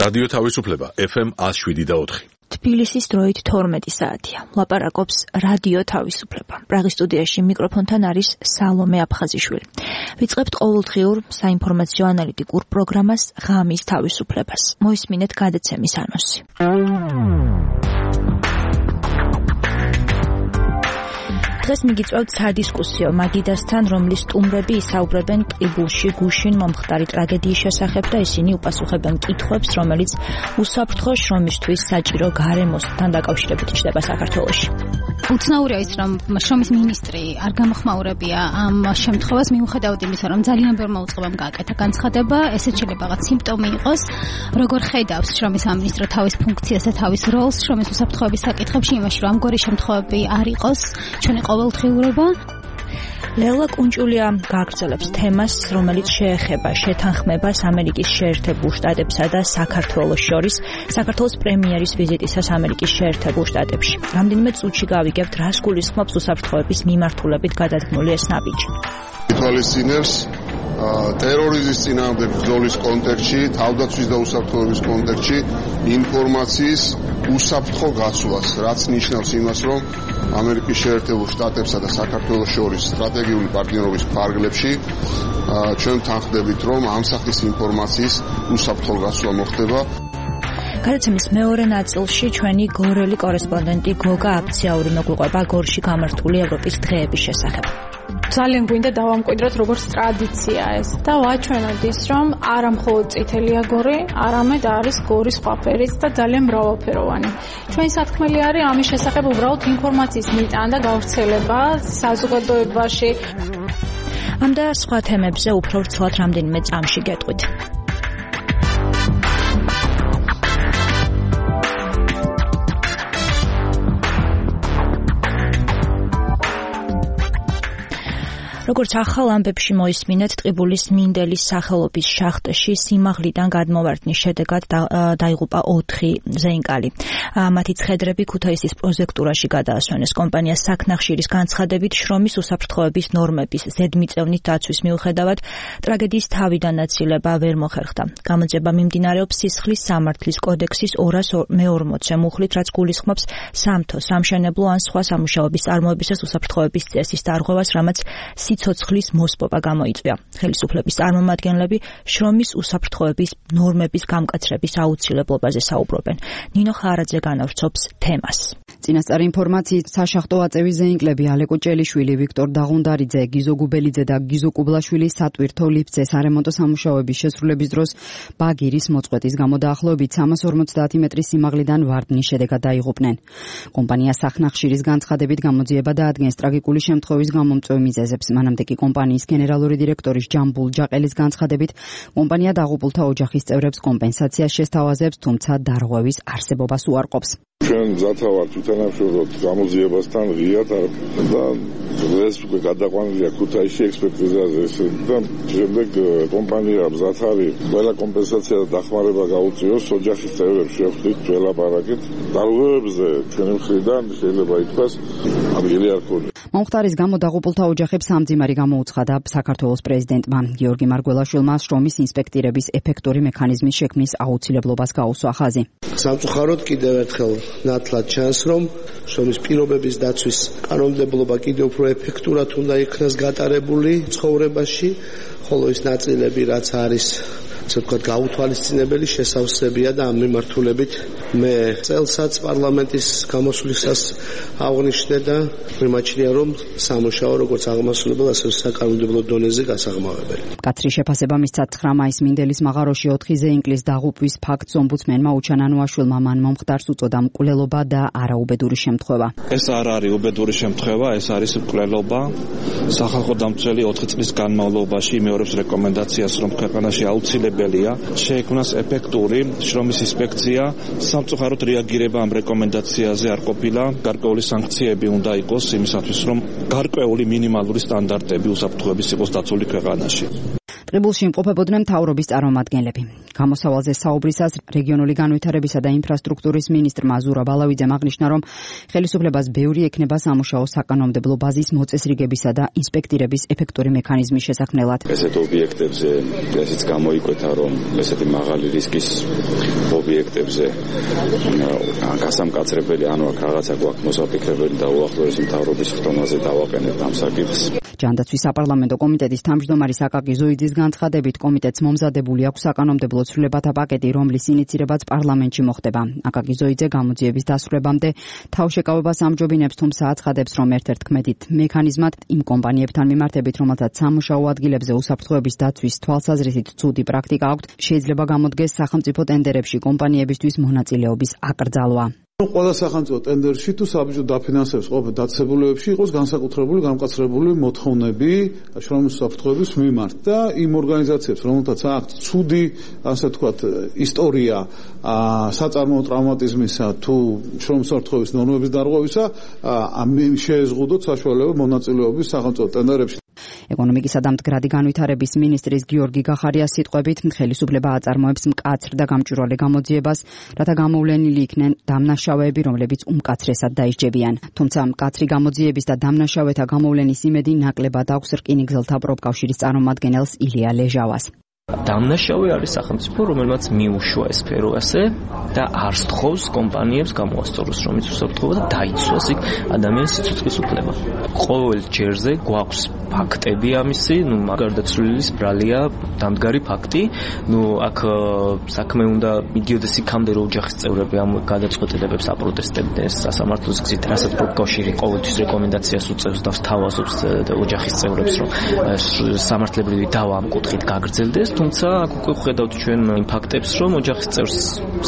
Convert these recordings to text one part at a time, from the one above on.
რადიო თავისუფლება FM 107.4. თბილისის დროით 12 საათია. ლაპარაკობს რადიო თავისუფლება. პრაღის სტუდიაში მიკროფონთან არის სალომე აფხაზიშვილი. ვიწყებთ ყოველდღიურ საინფორმაციო ანალიტიკურ პროგრამას ღამის თავისუფლებას. მოისმინეთ გადაცემის ანონსი. დღეს მიგიწევთ სადისკუსიო მაგიდასთან, რომლის სტუმრები ისაუბრებენ ტყიბულში გუშინ მომხდარი ტრაგედიის შესახებ და ისინი უპასუხებენ კითხვებს, რომელიც უსაფრთხო შრომისთვის საჭირო გარემოსთან დაკავშირებით ჩნდება საქართველოში. უცნაურია ის, რომ შრომის მინისტრი არ გამოხმაურებია ამ შემთხვევას, მიუხედავად იმისა, რომ ძალიან ბევრმა უწყებამ გააკეთა განცხადება, ესეც შეიძლება რაღაც სიმპტომი იყოს, როგორ ხედავს შრომის სამინისტრო თავის ფუნქციას და თავის როლს შრომის უსაფრთხოების საკითხებში, იმაში, რომ ამგვარი შემთხვევები არ იყოს ჩვენი ყოველდღიურობა. ლელა კუნჭულია გააგრძელებს თემას, რომელიც შეეხება შეთანხმებას ამერიკის შეერთებულ შტატებსა და საქართველოს შორის, საქართველოს პრემიერის ვიზიტისას ამერიკის შეერთებულ შტატებში. რამდენიმე წუთში გავიგებთ, რას გულისხმობს უსაფრთხოების მიმართულებით გადადგმული ეს ნაბიჯი. ითვალისწინებს ტერორიზმის წინააღმდეგ ბრძოლის კონტექსტში, თავდაცვის და უსაფრთხოების კონტექსტში ინფორმაციის უსაფრთხო გაცვლას, რაც ნიშნავს იმას, რომ ამერიკის შეერთებულ შტატებსა და საქართველოს შორის სტრატეგიული პარტნიორობის ფარგლებში ჩვენ თანხდებით, რომ ამ სახის ინფორმაციის უსაფრთხო გაცვლა მოხდება. გადაცემის მეორე ნაწილში ჩვენი გორელი კორესპონდენტი გოგა აფციაური მოგვიყვება გორში გამართული ევროპის დღეების შესახებ. ძალიან გვინდა დავამკვიდროთ, როგორც ტრადიციაა ეს და ვაჩვენოთ ის, რომ არა მხოლოდ წითელია გორი, არამედ არის გორის სხვა ფერიც და ძალიან მრავალფეროვანი. ჩვენი სათქმელი არის ამის შესახებ უბრალოდ ინფორმაციის მიტანა და გავრცელება საზოგადოებაში. ამ და სხვა თემებზე უფრო ვრცლად რამდენიმე წამში გეტყვით. როგორც ახალ ამბებში მოისმინეთ, ტყიბულის მინდელის სახელობის შახტში სიმაღლიდან გადმოვარდნის შედეგად დაიღუპა 4 ზეინკალი. მათი ცხედრები ქუთაისის პროზექტურაში გადაასვენეს. კომპანიას საქნახშირის განცხადებით შრომის უსაფრთხოების ნორმების ზედმიწევნით დაცვის მიუხედავად ტრაგედიის თავიდან აცილება ვერ მოხერხდა. გამოძიება მიმდინარეობს სისხლის სამართლის კოდექსის 240 მუხლით, რაც გულისხმობს სამთო, სამშენებლო ან სხვა სამუშაოების წარმოებისას უსაფრთხოების წესის დარღვევას, რამაც სიცოცხლის მოსპობა გამოიწვია. ხელისუფლების წარმომადგენლები შრომის უსაფრთხოების ნორმების გამკაცრების აუცილებლობაზე საუბრობენ. ნინო ხარაძე განავრცობს თემას. წინასწარი ინფორმაციით, საშახტო აწევის ზეინკლები ალეკო ჭელიშვილი, ვიქტორ დაღუნდარიძე, გიზო გუბელიძე და გიზო კუბლაშვილი სატვირთო ლიფტზე სარემონტო სამუშაოების შესრულების დროს ბაგირის მოწყვეტის გამო დაახლოებით 350 მეტრის სიმაღლიდან ვარდნის შედეგად დაიღუპნენ. კომპანია სახნახშირის განცხადებით გამოძიება დაადგენს ტრაგიკული შემთხვევის გამომწვევ მიზეზებს. მანამდე კი კომპანიის გენერალური დირექტორის ჯამბულ ჯაყელის განცხადებით, კომპანია დაღუპულთა ოჯახის წევრებს კომპენსაციას შესთავაზებს, თუმცა დარღვევის არსებობას უარყოფს. ჩვენ მზათა ვართ ვითანამშრომლოთ გამოძიებასთან ღიად და დღეს უკვე გადაყვანილია ქუთაისში ექსპერტიზაზე და შემდეგ კომპანია მზად არის ყველა კომპენსაცია და დახმარება გაუწიოს ოჯახის წევრებს შევხვდით ველაპარაკეთ. დარღვევებზე ჩვენი მხრიდან შეიძლება ითქვას ადგილი არ ქონია. მომხდარის გამო დაღუპულთა ოჯახებს სამძიმარი გამოუცხადა საქართველოს პრეზიდენტმა. გიორგი მარგველაშვილმა შრომის ინსპექტირების ეფექტური მექანიზმის შექმნის აუცილებლობას გაუსვა ხაზი. სამწუხაროდ კიდევ ერთხელ ნათლად ჩანს, რომ შრომის პირობების დაცვის კანონმდებლობა კიდევ უფრო ეფექტურად უნდა იქნას გატარებული ცხოვრებაში, ხოლო ის ნაწილები, რაც არის ასე ვთქვათ, გაუთვალისწინებელი შესავსებია და ამ მიმართულებით მე წელსაც პარლამენტის გამოსვლისას აღნიშნე და მიმაჩნია, რომ სამუშაო როგორც აღმასრულებელ, ასევე საკანონმდებლო დონეზე გასაღმავებელი. კაცრი შეფასება მისცა 9 მაისს მინდელის მაღაროში 4 ზეინკლის დაღუპვის ფაქტს ომბუდსმენმა უჩანანუაშვილმა მან მომხდარს უწოდა მკვლელობა და არაუბედური შემთხვევა. ეს არ არის უბედური შემთხვევა, ეს არის მკვლელობა. სახალხო დამცველი 4 წლის განმავლობაში იმეორებს რეკომენდაციას, რომ ქვეყანაში აუცილებელია შეექმნას ეფექტური შრომის ინსპექცია. სამწუხაროდ რეაგირება ამ რეკომენდაციაზე არ ყოფილა. გარკვეული სანქციები უნდა იყოს იმისათვის, რომ გარკვეული მინიმალური სტანდარტები უსაფრთხოების იყოს დაცული ქვეყანაში. ტყიბულში იმყოფებოდნენ მთავრობის წარმომადგენლები. გამოსავალზე საუბრისას რეგიონული განვითარებისა და ინფრასტრუქტურის მინისტრმა ზურაბ ალავიძემ აღნიშნა, რომ ხელისუფლებას ბევრი ექნება სამუშაო საკანონმდებლო ბაზის მოწესრიგებისა და ინსპექტირების ეფექტური მექანიზმის შესაქმნელად. ესეთ ობიექტებზე ესეც გამოიკვეთა, რომ ესეთი მაღალი რისკის ობიექტებზე გასამკაცრებელი ანუ აქ რაღაცა გვაქვს მოსაფიქრებელი და უახლოესი მთავრობის ხდომაზე დავაყენებთ ამ საკითხს. ჯანდაცვის საპარლამენტო კომიტეტის თავმჯდომარის აკაკი ზოიძის განცხადებით, კომიტეტს მომზადებული აქვს საკანონმდებლო ცვლილებათა პაკეტი, რომლის ინიცირებაც პარლამენტში მოხდება. აკაკი ზოიძე გამოძიების დასრულებამდე თავშეკავებას ამჯობინებს, თუმცა აცხადებს, რომ ერთ-ერთ კმედით მექანიზმად იმ კომპანიებთან მიმართებით, რომელთაც სამუშაო ადგილებზე უსაფრთხოების დაცვის თვალსაზრისით ცუდი პრაქტიკა აქვთ, შეიძლება გამოდგეს სახელმწიფო ტენდერებში კომპანიებისთვის მონაწილეობის აკრძალვა. ყველა სახელმწიფო ტენდერში თუ საბჭო დაფინანსებს ყოფილ დაწესებულებებში იყოს განსაკუთრებული გამკაცრებული მოთხოვნები შრომის უსაფრთხოების მიმართ და იმ ორგანიზაციებს, რომელთაც აქვთ ცუდი, ასე ვთქვათ, ისტორია საწარმოო ტრავმატიზმისა თუ შრომის უსაფრთხოების ნორმების დარღვევისა, შეეზღუდოთ საშუალება მონაწილეობის სახელმწიფო ტენდერებში. ეკონომიკისა და მდგრადი განვითარების მინისტრის გიორგი გახარიას სიტყვებით, ხელისუფლება აწარმოებს მკაცრ და გამჭვირვალე გამოძიებას, რათა გამოვლენილი იქნენ დამნაშავეები, რომლებიც უმკაცრესად დაისჯებიან. თუმცა მკაცრი გამოძიების და დამნაშავეთა გამოვლენის იმედი ნაკლებად აქვს რკინიგზელთა პროფკავშირის წარმომადგენელს ილია ლეჟავას. დამნაშავე არის სახელმწიფო, რომელმაც მიუშვა ეს სფერო ასე და არ სთხოვს კომპანიებს გამოასწოროს შრომის უსაფრთხოება და დაიცვას იქ ადამიანის სიცოცხლის უფლება. ყოველ ჯერზე გვაქვს ფაქტები ამისი, გარდაცვლილის ბრალია დამდგარი ფაქტი. აქ საქმე უნდა მიდიოდეს იქამდე, რომ ოჯახის წევრები ამ გადაწყვეტილებებს აპროტესტებდნენ სასამართლოს გზით, რასაც პროფკავშირი ყოველთვის რეკომენდაციას უწევს და სთავაზობს ოჯახის წევრებს, რომ სამართლებრივი დავა ამ კუთხით გაგრძელდეს. თუმცა აქ უკვე ხედავთ ჩვენ იმ ფაქტებს, რომ ოჯახის წევრს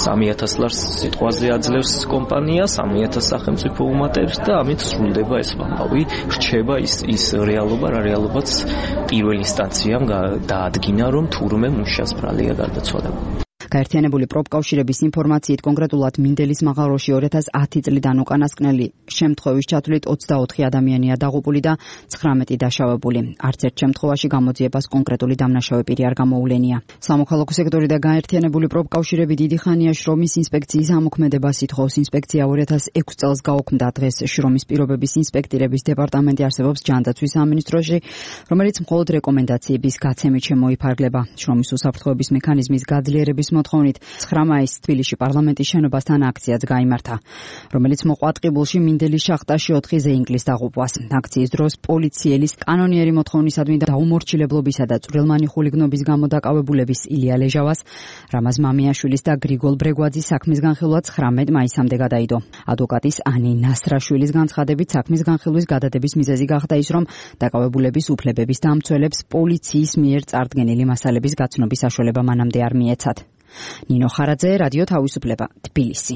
3000 ლარს სიტყვაზე აძლევს კომპანია, 3000 სახელმწიფო უმატებს და ამით სრულდება ეს ამბავი, რჩება ის რეალობა, რა რეალობაც პირველ ინსტანციამ დაადგინა, რომ თურმე მუშას ბრალია გარდაცვალება. გაერთიანებული პროფკავშირების ინფორმაციით კონკრეტულად მინდელის მაღაროში 2010 წლიდან უკანასკნელი შემთხვევის ჩათვლით 24 ადამიანია დაღუპული და 19 დაშავებული. არც ერთ შემთხვევაში გამოძიებას კონკრეტული დამნაშავე პირი არ გამოულენია. სამოქალაქო სექტორი და გაერთიანებული პროფკავშირები დიდი ხანია შრომის ინსპექციის ამოქმედებას ითხოვს. ინსპექცია 2006 წელს გაუქმდა. დღეს შრომის პირობების ინსპექტირების დეპარტამენტი არსებობს ჯანდაცვის სამინისტროში, რომელიც მხოლოდ რეკომენდაციების გაცემით შემოიფარგლება. შრომის უსაფრთხოების მექანიზმის გაძლიერების მოთხოვნით 9 მაისს თბილისში პარლამენტის შენობასთან აქციაც გაიმართა, რომელიც მოყვა ტყიბულში მინდელის შახტაში 4 ზეინკლის დაღუპვას. აქციის დროს პოლიციელის კანონიერი მოთხოვნისადმი დაუმორჩილებლობისა და წვრილმანი ხულიგნობის გამო დაკავებულების ილია ლეჟავას, რამაზ მამიაშვილის და გრიგოლ ბრეგვაძის საქმის განხილვა 19 მაისამდე გადაიდო. ადვოკატის ანი ნასრაშვილის განცხადებით საქმის განხილვის გადადების მიზეზი გახდა ის, რომ დაკავებულების უფლებების დამცველებს პოლიციის მიერ წარდგენილი მასალების გაცნობის საშუალება მანამდე არ მიეცათ. ნინო ხარაძე, რადიო თავისუფლება, თბილისი.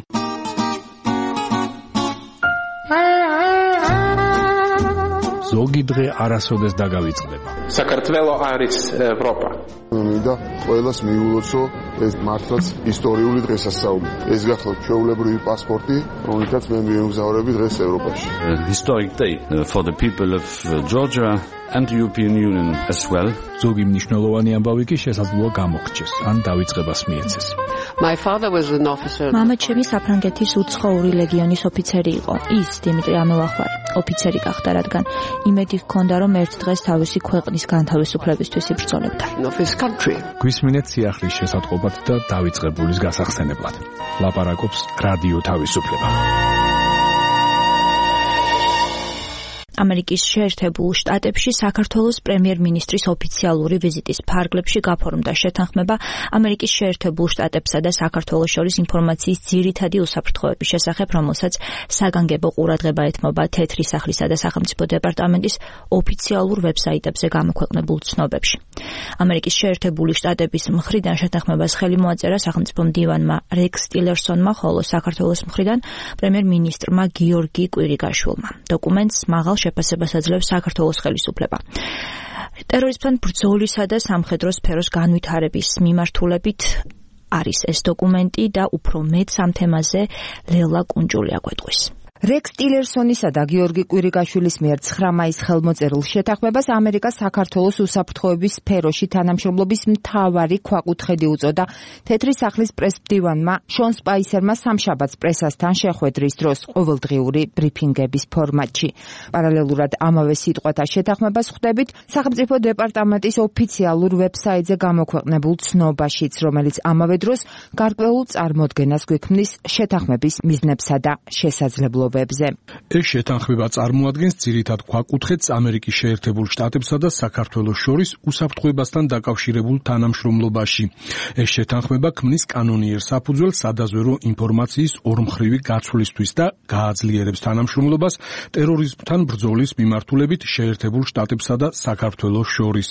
ზოგი დღე არასოდეს დაგავიწყდება. საქართველო არის ევროპა. და ყველას მიულოცო ეს მართლაც ისტორიული დღესასწაული. ეს გახლავთ ჩვეულებრივი პასპორტი, რომელთაც მე მიემგზავრები დღეს ევროპაში. Historic day for the people of Georgia and the European Union as well. ზოგი მნიშვნელოვანი ამბავი კი შესაძლოა გამოგრჩეს, ან დავიწყებას მიეცეს. My father was an officer. მამა ჩემი საფრანგეთის უცხოური ლეგიონის ოფიცერი იყო. ის დიმიტრი ამელახვარი ოფიცერი გახდა, რადგან იმედი ჰქონდა, რომ ერთ დღეს თავისი ქვეყნის განთავისუფლებისთვის იბრძოლებდა. გვისმინეთ სიახლის შესატყობად და დავიწყებულის გასახსენებლად. ლაპარაკობს რადიო თავისუფლება. ამერიკის შეერთებულ შტატებში საქართველოს პრემიერ-მინისტრის ოფიციალური ვიზიტის ფარგლებში გაფორმდა შეთანხმება ამერიკის შეერთებულ შტატებსა და საქართველოს შორის ინფორმაციის ძირითადი უსაფრთხოების შესახებ, რომელსაც საგანგებო ყურადღება ეთმობა თეთრი სახლისა და სახელმწიფო დეპარტამენტის ოფიციალურ ვებსაიტებზე გამოქვეყნებულ ცნობებში. ამერიკის შეერთებული შტატების მხრიდან შეთანხმებას ხელი მოაწერა სახელმწიფო მდივანმა რექს ტილერსონმა, ხოლო საქართველოს მხრიდან პრემიერ-მინისტრმა გიორგი კვირიკაშვილმა. დოკუმენტს მაღალ შეფასებას აძლევს საქართველოს ხელისუფლება. ტერორიზმთან ბრძოლისა და სამხედრო სფეროს განვითარების მიმართულებით არის ეს დოკუმენტი და უფრო მეტ ამ თემაზე ლელა კუნჯული აგვეტყვის. რექს ტილერსონისა და გიორგი კვირიკაშვილის მიერ 9 მაისს ხელმოწერილ შეთანხმებას ამერიკას საქართველოს უსაფრთხოების სფეროში თანამშრომლობის მთავარი ქვაკუთხედი უწოდა თეთრი სახლის პრესმდივანმა შონ სპაისერმა სამშაბათს პრესასთან შეხვედრის დროს ყოველდღიური ბრიფინგების ფორმატში. პარალელურად ამავე სიტყვათა შეთანხმებას ხვდებით სახელმწიფო დეპარტამენტის ოფიციალურ ვებსაიტზე გამოქვეყნებულ ცნობაშიც, რომელიც ამავე დროს გარკვეულ წარმოდგენას გვექმნის შეთანხმების მიზნებსა და შესაძლებლობებზე. ეს შეთანხმება წარმოადგენს ძირითად ქვაკუთხედს ამერიკის შეერთებულ შტატებსა და საქართველოს შორის უსაფრთხოებასთან დაკავშირებულ თანამშრომლობაში. ეს შეთანხმება ქმნის კანონიერ საფუძველს სადაზვერო ინფორმაციის ორმხრივი გაცვლისთვის და გააძლიერებს თანამშრომლობას ტერორიზმთან ბრძოლის მიმართულებით შეერთებულ შტატებსა და საქართველოს შორის.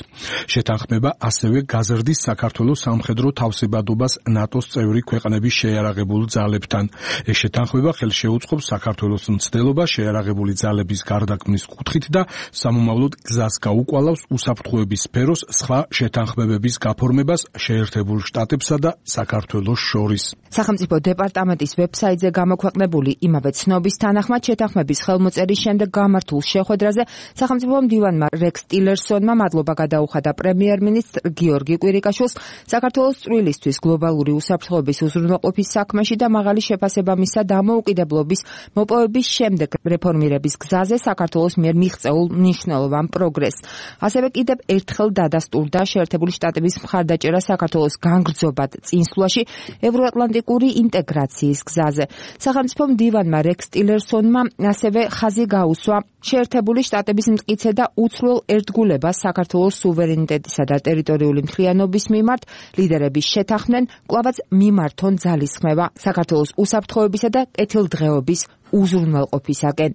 შეთანხმება ასევე გაზრდის საქართველოს სამხედრო თავსებადობას ნატოს წევრი ქვეყნების შეიარაღებულ ძალებთან. ეს შეთანხმება ხელს შეუწყობს საქართველოს მცდელობა შეიარაღებული ძალების გარდაქმნის კუთხით და სამომავლოდ გზას გაუკვალავს უსაფრთხოების სფეროს სხვა შეთანხმებების გაფორმებას შეერთებულ შტატებსა და საქართველოს შორის. სახელმწიფო დეპარტამენტის ვებსაიტზე გამოქვეყნებული იმავე ცნობის თანახმად შეთანხმების ხელმოწერის შემდეგ გამართულ შეხვედრაზე სახელმწიფო მდივანმა რექს ტილერსონმა მადლობა გადაუხადა პრემიერ-მინისტრ გიორგი კვირიკაშვილს საქართველოს წვლილისთვის გლობალური უსაფრთხოების უზრუნველყოფის საქმეში და მაღალი შეფასებამისა დამოუკიდებლობის მოპოვების შემდეგ რეფორმირების გზაზე საქართველოს მიერ მიღწეულ მნიშვნელოვან პროგრესს. ასევე კიდევ ერთხელ დადასტურდა შეერთებული შტატების მხარდაჭერა საქართველოს განგრძობად წინსვლაში ევროატლანტიკური ინტეგრაციის გზაზე. სახელმწიფო მდივანმა რექს ტილერსონმა ასევე ხაზი გაუსვა შეერთებული შტატების მტკიცე და უცვლელ ერთგულებას საქართველოს სუვერენიტეტისა და ტერიტორიული მთლიანობის მიმართ ლიდერების შეთანხმდნენ, კვლავაც მიმართონ ძალისხმევა საქართველოს უსაფრთხოებისა და კეთილდღეობის უზრუნველყოფისაკენ.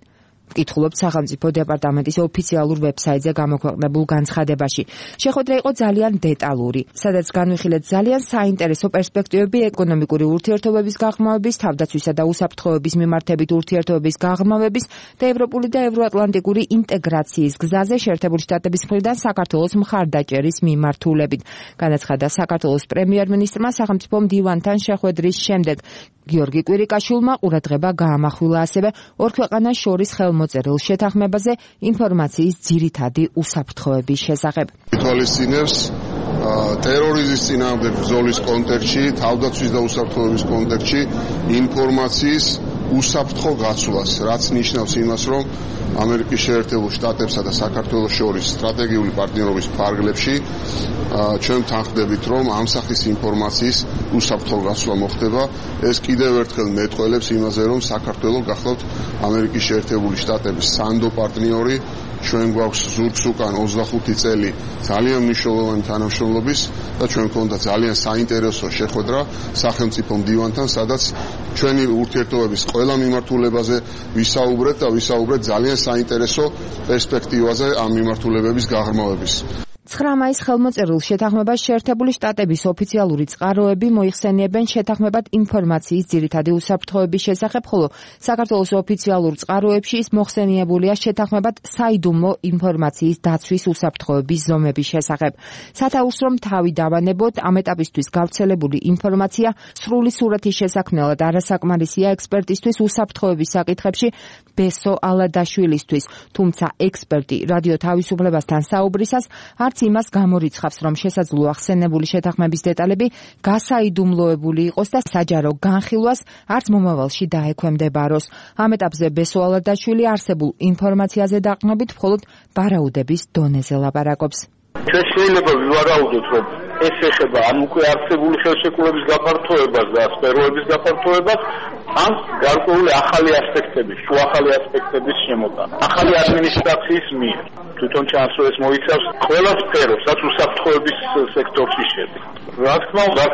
ვკითხულობთ სახელმწიფო დეპარტამენტის ოფიციალურ ვებსაიტზე გამოქვეყნებულ განცხადებაში. შეხვედრა იყო ძალიან დეტალური, სადაც განვიხილეთ ძალიან საინტერესო პერსპექტივები ეკონომიკური ურთიერთობების გაღრმავების, თავდაცვისა და უსაფრთხოების მიმართებით ურთიერთობების გაღრმავების და ევროპული და ევროატლანტიკური ინტეგრაციის გზაზე შეერთებული შტატების მხრიდან საქართველოს მხარდაჭერის მიმართულებით. განაცხადა საქართველოს პრემიერ-მინისტრმა სახელმწიფო მდივანთან შეხვედრის შემდეგ. გიორგი კვირიკაშვილმა ყურადღება გაამახვილა ასევე ორ ქვეყანას შორის ხელმოწერილ შეთანხმებაზე ინფორმაციის ძირითადი უსაფრთხოების შესახებ. ითვალისწინებს ტერორიზმის წინააღმდეგ ბრძოლის კონტექსტში, თავდაცვის და უსაფრთხოების კონტექსტში ინფორმაციის უსაფრთხო გაცვლას, რაც ნიშნავს იმას, რომ ამერიკის შეერთებულ შტატებსა და საქართველოს შორის სტრატეგიული პარტნიორობის ფარგლებში ჩვენ თანხმდებით, რომ ამ სახის ინფორმაციის უსაფრთხო გაცვლა მოხდება. ეს კიდევ ერთხელ მეტყველებს იმაზე, რომ საქართველოს გახლავთ ამერიკის შეერთებული შტატების სანდო პარტნიორი. ჩვენ გვაქვს ზურგს უკან 25 წელი ძალიან მნიშვნელოვანი თანამშრომლობის და ჩვენ გვქონდა ძალიან საინტერესო შეხვედრა სახელმწიფო მდივანთან, სადაც ჩვენი ურთიერთობების ყველა მიმართულებაზე ვისაუბრეთ და ვისაუბრეთ ძალიან საინტერესო პერსპექტივაზე ამ მიმართულებების გაღრმავების. 9 მაისს ხელმოწერილ შეთანხმებას შეერთებული შტატების ოფიციალური წყაროები მოიხსენიებენ შეთანხმებად ინფორმაციის ძირითადი უსაფრთხოების შესახებ, ხოლო საქართველოს ოფიციალურ წყაროებში ის მოხსენიებულია შეთანხმებად საიდუმლო ინფორმაციის დაცვის უსაფრთხოების ზომების შესახებ. სათაურს რომ თავი დავანებოთ, ამ ეტაპისთვის გავრცელებული ინფორმაცია სრული სურათის შესაქმნელად არასაკმარისია ექსპერტისთვის უსაფრთხოების საკითხებში ბესო ალადაშვილისთვის, თუმცა ექსპერტი რადიო თავისუფლებასთან საუბრისას არც იმას გამორიცხავს, რომ შესაძლოა ხსენებული შეთანხმების დეტალები გასაიდუმლოებული იყოს და საჯარო განხილვას არც მომავალში დაექვემდებაროს. ამ ეტაპზე ბესო ალადაშვილი არსებულ ინფორმაციაზე დაყრდნობით მხოლოდ ვარაუდების დონეზე ლაპარაკობს. ჩვენ შეიძლება ვივარაუდოთ, რომ ეს ეხება ამ უკვე არსებული ხელშეკრულების გაფართოებას და სფეროების გაფართოებას, ან გარკვეული ახალი ასპექტების, შუახალი ასპექტების შემოტანა. ახალი ადმინისტრაციის მიერ. თვითონ ჩანს, რომ ეს მოიცავს ყველა სფეროს, რაც უსაფრთხოების სექტორში შედის. რა თქმა უნდა,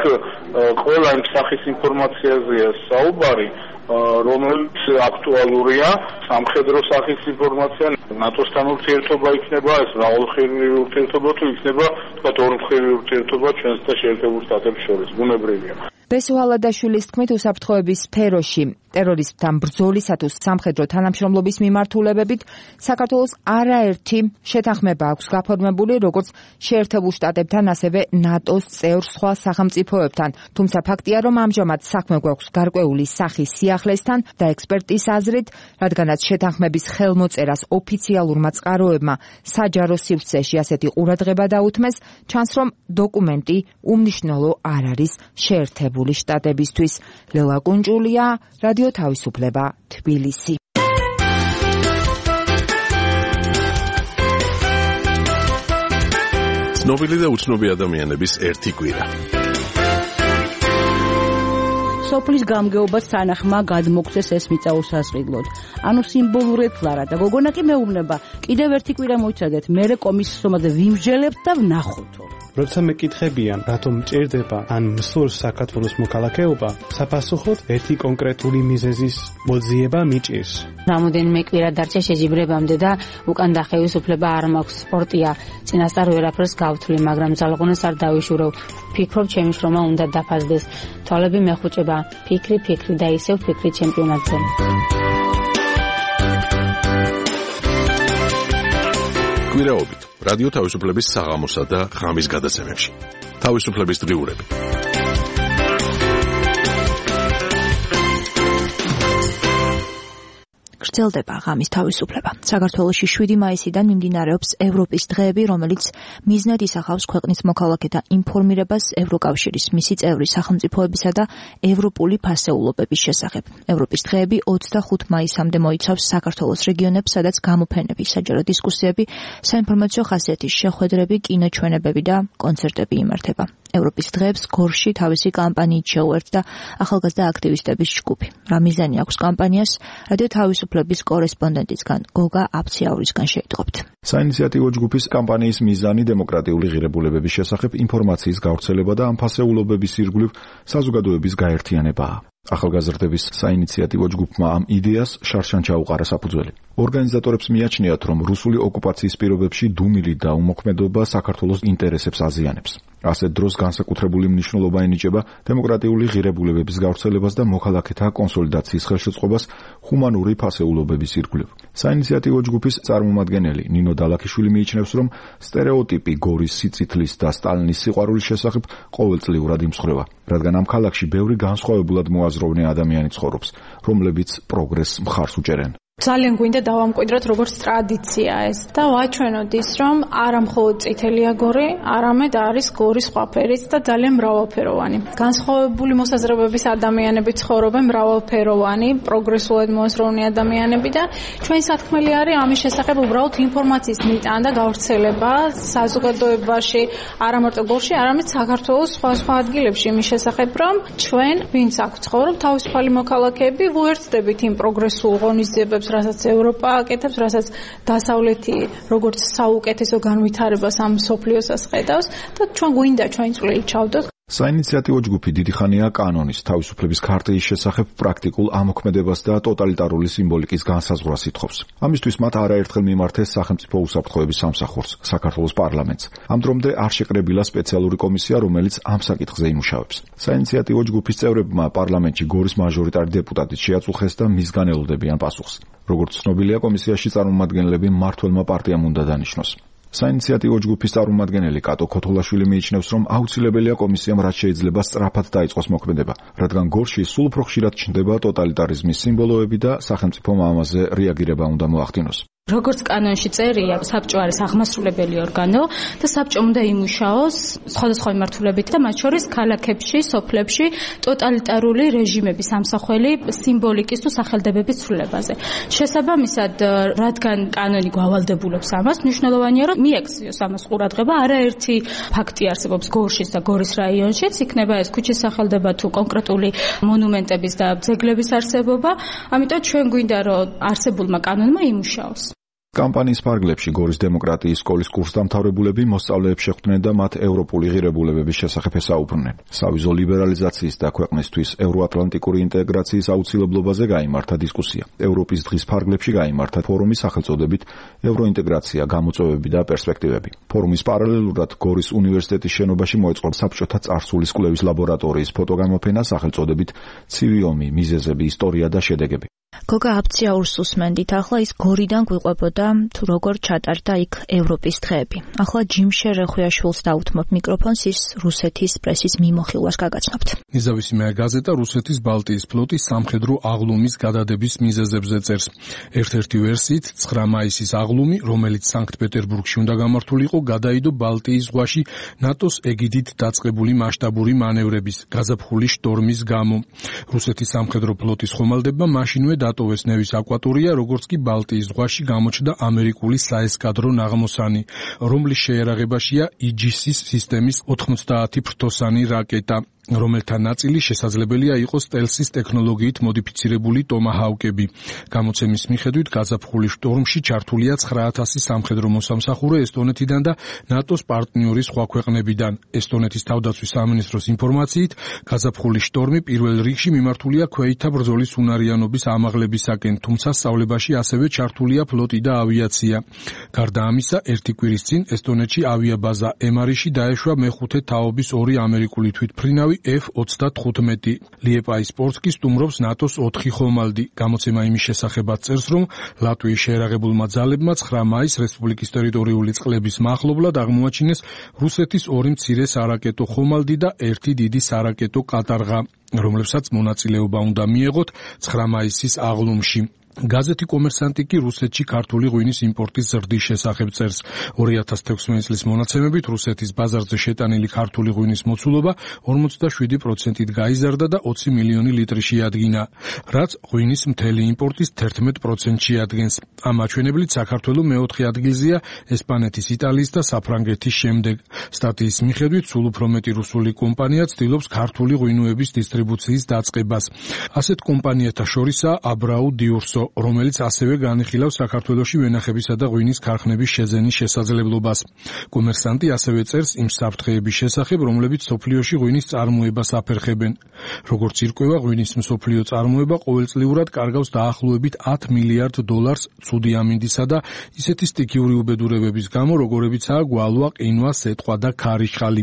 ყველა იმ სახის ინფორმაციაზეა საუბარი, რომელიც აქტუალურია, სამხედრო სახის ინფორმაცია, ნატოსთან ურთიერთობა იქნება, ეს მრავალმხრივი ურთიერთობა თუ იქნება, თქვათ ორმხრივი ურთიერთობა ჩვენს და შეერთებულ შტატებს შორის, ბუნებრივია. ბესო ალადაშვილის თქმით, უსაფრთხოების სფეროში ტერორიზმთან ბრძოლისა თუ სამხედრო თანამშრომლობის მიმართულებებით საქართველოს არაერთი შეთანხმება აქვს გაფორმებული, როგორც შეერთებულ შტატებთან, ასევე ნატოს წევრ სხვა სახელმწიფოებთან. თუმცა ფაქტია, რომ ამჟამად საქმე გვაქვს გარკვეული სახის სიახლესთან და ექსპერტის აზრით, რადგანაც შეთანხმების ხელმოწერას ოფიციალურმა წყაროებმა საჯარო სივრცეში ასეთი ყურადღება დაუთმეს, ჩანს, რომ დოკუმენტი უმნიშვნელო არ არის შეერთებული შტატებისთვის. ლელა კუნჭულია, რადიო თავისუფლება, თბილისი. ცნობილი და უცნობი ადამიანების ერთი კვირა. სოფლის გამგეობას თანახმა გადმოგცეს ეს მიწა უსასყიდლოდ. ანუ სიმბოლურად ფლარა და გოგონა კი მეუბნება, კიდევ ერთი კვირა მოიცადეთ, მერე კომისიის ომაზე ვიმსჯელებთ და ვნახოთო. როცა მეკითხებიან, რატომ მჭირდება ან მსურს საქართველოს მოქალაქეობა, საფასუხოდ ერთი კონკრეტული მიზეზის მოძიება მიჭირს. რამოდენიმე კვირა დარჩა შეჯიბრებამდე და უკან დახევის უფლება არ მაქვს. სპორტია, წინასწარ ვერაფერს გავთვლი, მაგრამ ძალღონას არ დავიშურევ. ფიქრობ, ჩემი შრომა უნდა დაფასდეს. თვალები მეხუჭება, ფიქრი და ისევ ფიქრი ჩემპიონატზე. კვირაობით რადიო თავისუფლების საღამოსა და ღამის გადაცემებში. თავისუფლების დღიურები. გრძელდება ღამის თავისუფლება. საქართველოში 7 მაისიდან მიმდინარეობს ევროპის დღეები, რომელიც მიზნად ისახავს ქვეყნის მოქალაქეთა ინფორმირებას ევროკავშირის მისი წევრი სახელმწიფოებისა და ევროპული ფასეულობების შესახებ. ევროპის დღეები 25 მაისამდე მოიცავს საქართველოს რეგიონებს, სადაც გამოფენები, საჯარო დისკუსიები, საინფორმაციო ხასიათის შეხვედრები, კინოჩვენებები და კონცერტები იმართება. ევროპის დღეებს გორში თავისი კამპანიით შეუერთდა ახალგაზრდა აქტივისტების ჯგუფი. რა მიზანი აქვს კამპანიას? რადიო თავისუფლების კორესპონდენტისგან გოგა აფციაურისგან შეიტყობთ. საინიციატივო ჯგუფის კამპანიის მიზანი დემოკრატიული ღირებულებების შესახებ ინფორმაციის გავრცელება და ამ ფასეულობების ირგვლივ საზოგადოების გაერთიანებაა. ახალგაზრდების საინიციატივო ჯგუფმა ამ იდეას შარშან ჩაუყარა საფუძველი. ორგანიზატორებს მიაჩნიათ, რომ რუსული ოკუპაციის პირობებში დუმილი და უმოქმედობა საქართველოს ინტერესებს აზიანებს. ასეთ დროს განსაკუთრებული მნიშვნელობა ენიჭება დემოკრატიული ღირებულებების გავრცელებას და მოქალაქეთა კონსოლიდაციის ხელშეწყობას ჰუმანური ფასეულობების ირგვლივ. საინიციატივო ჯგუფის წარმომადგენელი ნინო დალაქიშვილი მიიჩნევს, რომ სტერეოტიპი გორის სიწითლის და სტალინის სიყვარულის შესახებ ყოველწლიურად იმსხვრევა, რადგან ამ ქალაქში ბევრი განსხვავებულად მოაზროვნე ადამიანი ცხოვრობს, რომლებიც პროგრესს მხარს უჭერენ. ძალიან გვინდა დავამკვიდროთ როგორც ტრადიცია ეს და ვაჩვენოთ ის, რომ არა მხოლოდ წითელია გორი, არამედ არის გორის სხვა ფერიც და ძალიან მრავალფეროვანი. განსხვავებული მოსაზრებების ადამიანები ცხოვრობენ, მრავალფეროვანი, პროგრესულად მოაზროვნე ადამიანები და ჩვენ სათქმელი არის ამის შესახებ უბრალოდ ინფორმაციის მიტანა და გავრცელება საზოგადოებაში, არა მარტო გორში, არამედ საქართველოს სხვა ადგილებში იმის შესახებ, რომ ჩვენ ვინც აქ ცხოვრობ, თავისუფალი მოქალაქეები ვუერთდებით იმ პროგრესულ ღონისძიებებს, რასაც ევროპა აკეთებს, რასაც დასავლეთი როგორც საუკეთესო განვითარებას ამ სოფლიოსას ხედავს და ჩვენ გვინდა ჩვენი წვლილი ჩავდოთ. საინიციატივო ჯგუფი დიდი ხანია კანონის, თავისუფლების ქარტიის შესახებ პრაქტიკულ ამოქმედებას და ტოტალიტარული სიმბოლიკის განსაზღვრას ითხოვს. ამისთვის მათ არაერთხელ მიმართეს სახელმწიფო უსაფრთხოების სამსახურს, საქართველოს პარლამენტს. ამ დრომდე არ შეკრებილა სპეციალური კომისია, რომელიც ამ საკითხზე იმუშავებს. საინიციატივო ჯგუფის წევრებმა პარლამენტში გორის მაჟორიტარი დეპუტატით შეაწუხეს და მისგან ელოდებიან პასუხს. როგორც ცნობილია, კომისიაში წარმომადგენლები მმართველმა პარტიამ უნდა დანიშნოს. საინიციატივო ჯგუფის წარმომადგენელი კატო ქოთოლაშვილი მიიჩნევს, რომ აუცილებელია კომისიამ რაც შეიძლება სწრაფად დაიწყოს მოქმედება, რადგან გორში სულ უფრო ხშირად ჩნდება ტოტალიტარიზმის სიმბოლოები და სახელმწიფომ ამაზე რეაგირება უნდა მოახდინოს. როგორც კანონში წერია, საბჭო არის აღმასრულებელი ორგანო და საბჭო უნდა იმუშაოს სხვადასხვა მიმართულებით და მათ შორის ქალაქებში, სოფლებში ტოტალიტარული რეჟიმების ამსახველი სიმბოლიკის თუ სახელდებების ცვლილებაზე. შესაბამისად, რადგან კანონი გვავალდებულებს ამას, მნიშვნელოვანია, რომ მიექციოს ამას ყურადღება. არაერთი ფაქტი არსებობს გორშიც და გორის რაიონშიც, იქნება ეს ქუჩის სახელდება თუ კონკრეტული მონუმენტების და ძეგლების არსებობა. ამიტომ ჩვენ გვინდა, რომ არსებულმა კანონმა იმუშაოს. კამპანიის ფარგლებში გორის დემოკრატიის სკოლის კურსდამთავრებულები მოსწავლეებს შეხვდნენ და მათ ევროპული ღირებულებების შესახებ ესაუბრნენ. სავიზო ლიბერალიზაციის და ქვეყნისთვის ევროატლანტიკური ინტეგრაციის აუცილებლობაზე გაიმართა დისკუსია. ევროპის დღის ფარგლებში გაიმართა ფორუმის სახელწოდებით ევროინტეგრაცია, გამოწვევები და პერსპექტივები. ფორუმის პარალელურად გორის უნივერსიტეტის შენობაში მოეწყო საბჭოთა წარსულის კვლევის ლაბორატორიის ფოტოგამოფენა სახელწოდებით ცივი ომი, მიზეზები, ისტორია და შედეგები. გოგა აფციაურს უსმენდით, ახლა ის გორიდან გვიყვებოდა თუ როგორ ჩატარდა იქ ევროპის დღეები. ახლა ჯიმშე რეხვიაშვილს დაუთმობ მიკროფონს, ის რუსეთის პრესის მიმოხილვას გაგაცნობთ. ნეზავისიმე გაზეტა რუსეთის ბალტიის ფლოტის სამხედრო აღლუმის გადადების მიზეზებზე წერს. ერთ-ერთი ვერსიით 9 მაისის აღლუმი, რომელიც სანქტ-პეტერბურგში უნდა გამართულიყო, გადაიდო ბალტიის ზღვაში ნატოს ეგიდით დაწყებული მასშტაბური მანევრების გაზაფხულის შტორმის გამო. რუსეთის სამხედრო ფლოტის ხომალდებმა მაშინვე დატოვეს ნევის აკვატორია, როგორც კი ბალტიის ზღვაში გამოჩნდა ამერიკული საესკადრო ნაღმოსანი, რომლის შეერაღებაშია იგისის სისტემის 90 ფრთოსანი რაკეტა, რომელთა ნაწილი შესაძლებელია იყოს სტელსის ტექნოლოგიით მოდიფიცირებული ტომაჰაუკები. გამოცემის მიხედვით გაზაფხულის შტორმში ჩართულია 9000 სამხედრო მოსამსახურე ესტონეთიდან და ნატოს პარტნიორი სხვა ქვეყნებიდან. ესტონეთის თავდაცვის სამინისტროს ინფორმაციით, გაზაფხულის შტორმი პირველ რიგში მიმართულია ქვეითთა ბრძოლის უნარიანობის ამაღლებისაკენ, თუმცა სწავლებაში ასევე ჩართულია ფლოტი და ავიაცია. გარდა ამისა, ერთი კვირის წინ ესტონეთში ავიაბაზა ემარიში დაეშვა მეხუთე თაობის 2 ამერიკული თვითმფრინავი F-35. ლიეპაის პორტსკი სტუმრობს ნატოს 4 ხომალდი. გამოცემა იმის შესახებაც წერს, რომ ლატვიის შეერაღებულმა ძალებმა 9 მაისს რესპუბლიკის ტერიტორიული წყლების მახლობლად აღმოაჩინეს რუსეთის 2 მცირე სარაკეტო ხომალდი და 1 დიდი სარაკეტო კატარღა, რომლებსაც მონაწილეობა უნდა მიეღოთ 9 მაისის აღლუმში. გაზეთი კომერსანტი კი რუსეთში ქართული ღვინის იმპორტის ზრდის შესახებ წერს. 2016 წლის მონაცემებით რუსეთის ბაზარზე შეტანილი ქართული ღვინის მოცულობა 47%-ით გაიზარდა და 20 მილიონი ლიტრი შეადგინა, რაც ღვინის მთელი იმპორტის 11%-ს შეადგენს. ამ მაჩვენებლით საქართველო მეოთხე ადგილზეა ესპანეთის, იტალიის და საფრანგეთის შემდეგ. სტატიის მიხედვით სულ უფრო მეტი რუსული კომპანია ცდილობს ქართული ღვინოების დისტრიბუციის დაწყებას. ასეთ კომპანიათა შორისაა აბრაუ დიურსო, რომელიც ასევე განიხილავს საქართველოში ვენახებისა და ღვინის ქარხნების შეძენის შესაძლებლობას. კომერსანტი ასევე წერს იმ საფრთხეების შესახებ, რომლებიც მსოფლიოში ღვინის წარმოებას აფერხებენ. როგორც ირკვევა, ღვინის მსოფლიო წარმოება ყოველწლიურად კარგავს დაახლოებით $10 მილიარდ ცუდი ამინდისა და ისეთი სტიქიური უბედურებების გამო, როგორებიცაა გვალვა, ყინვა, სეტყვა და ქარიშხალი.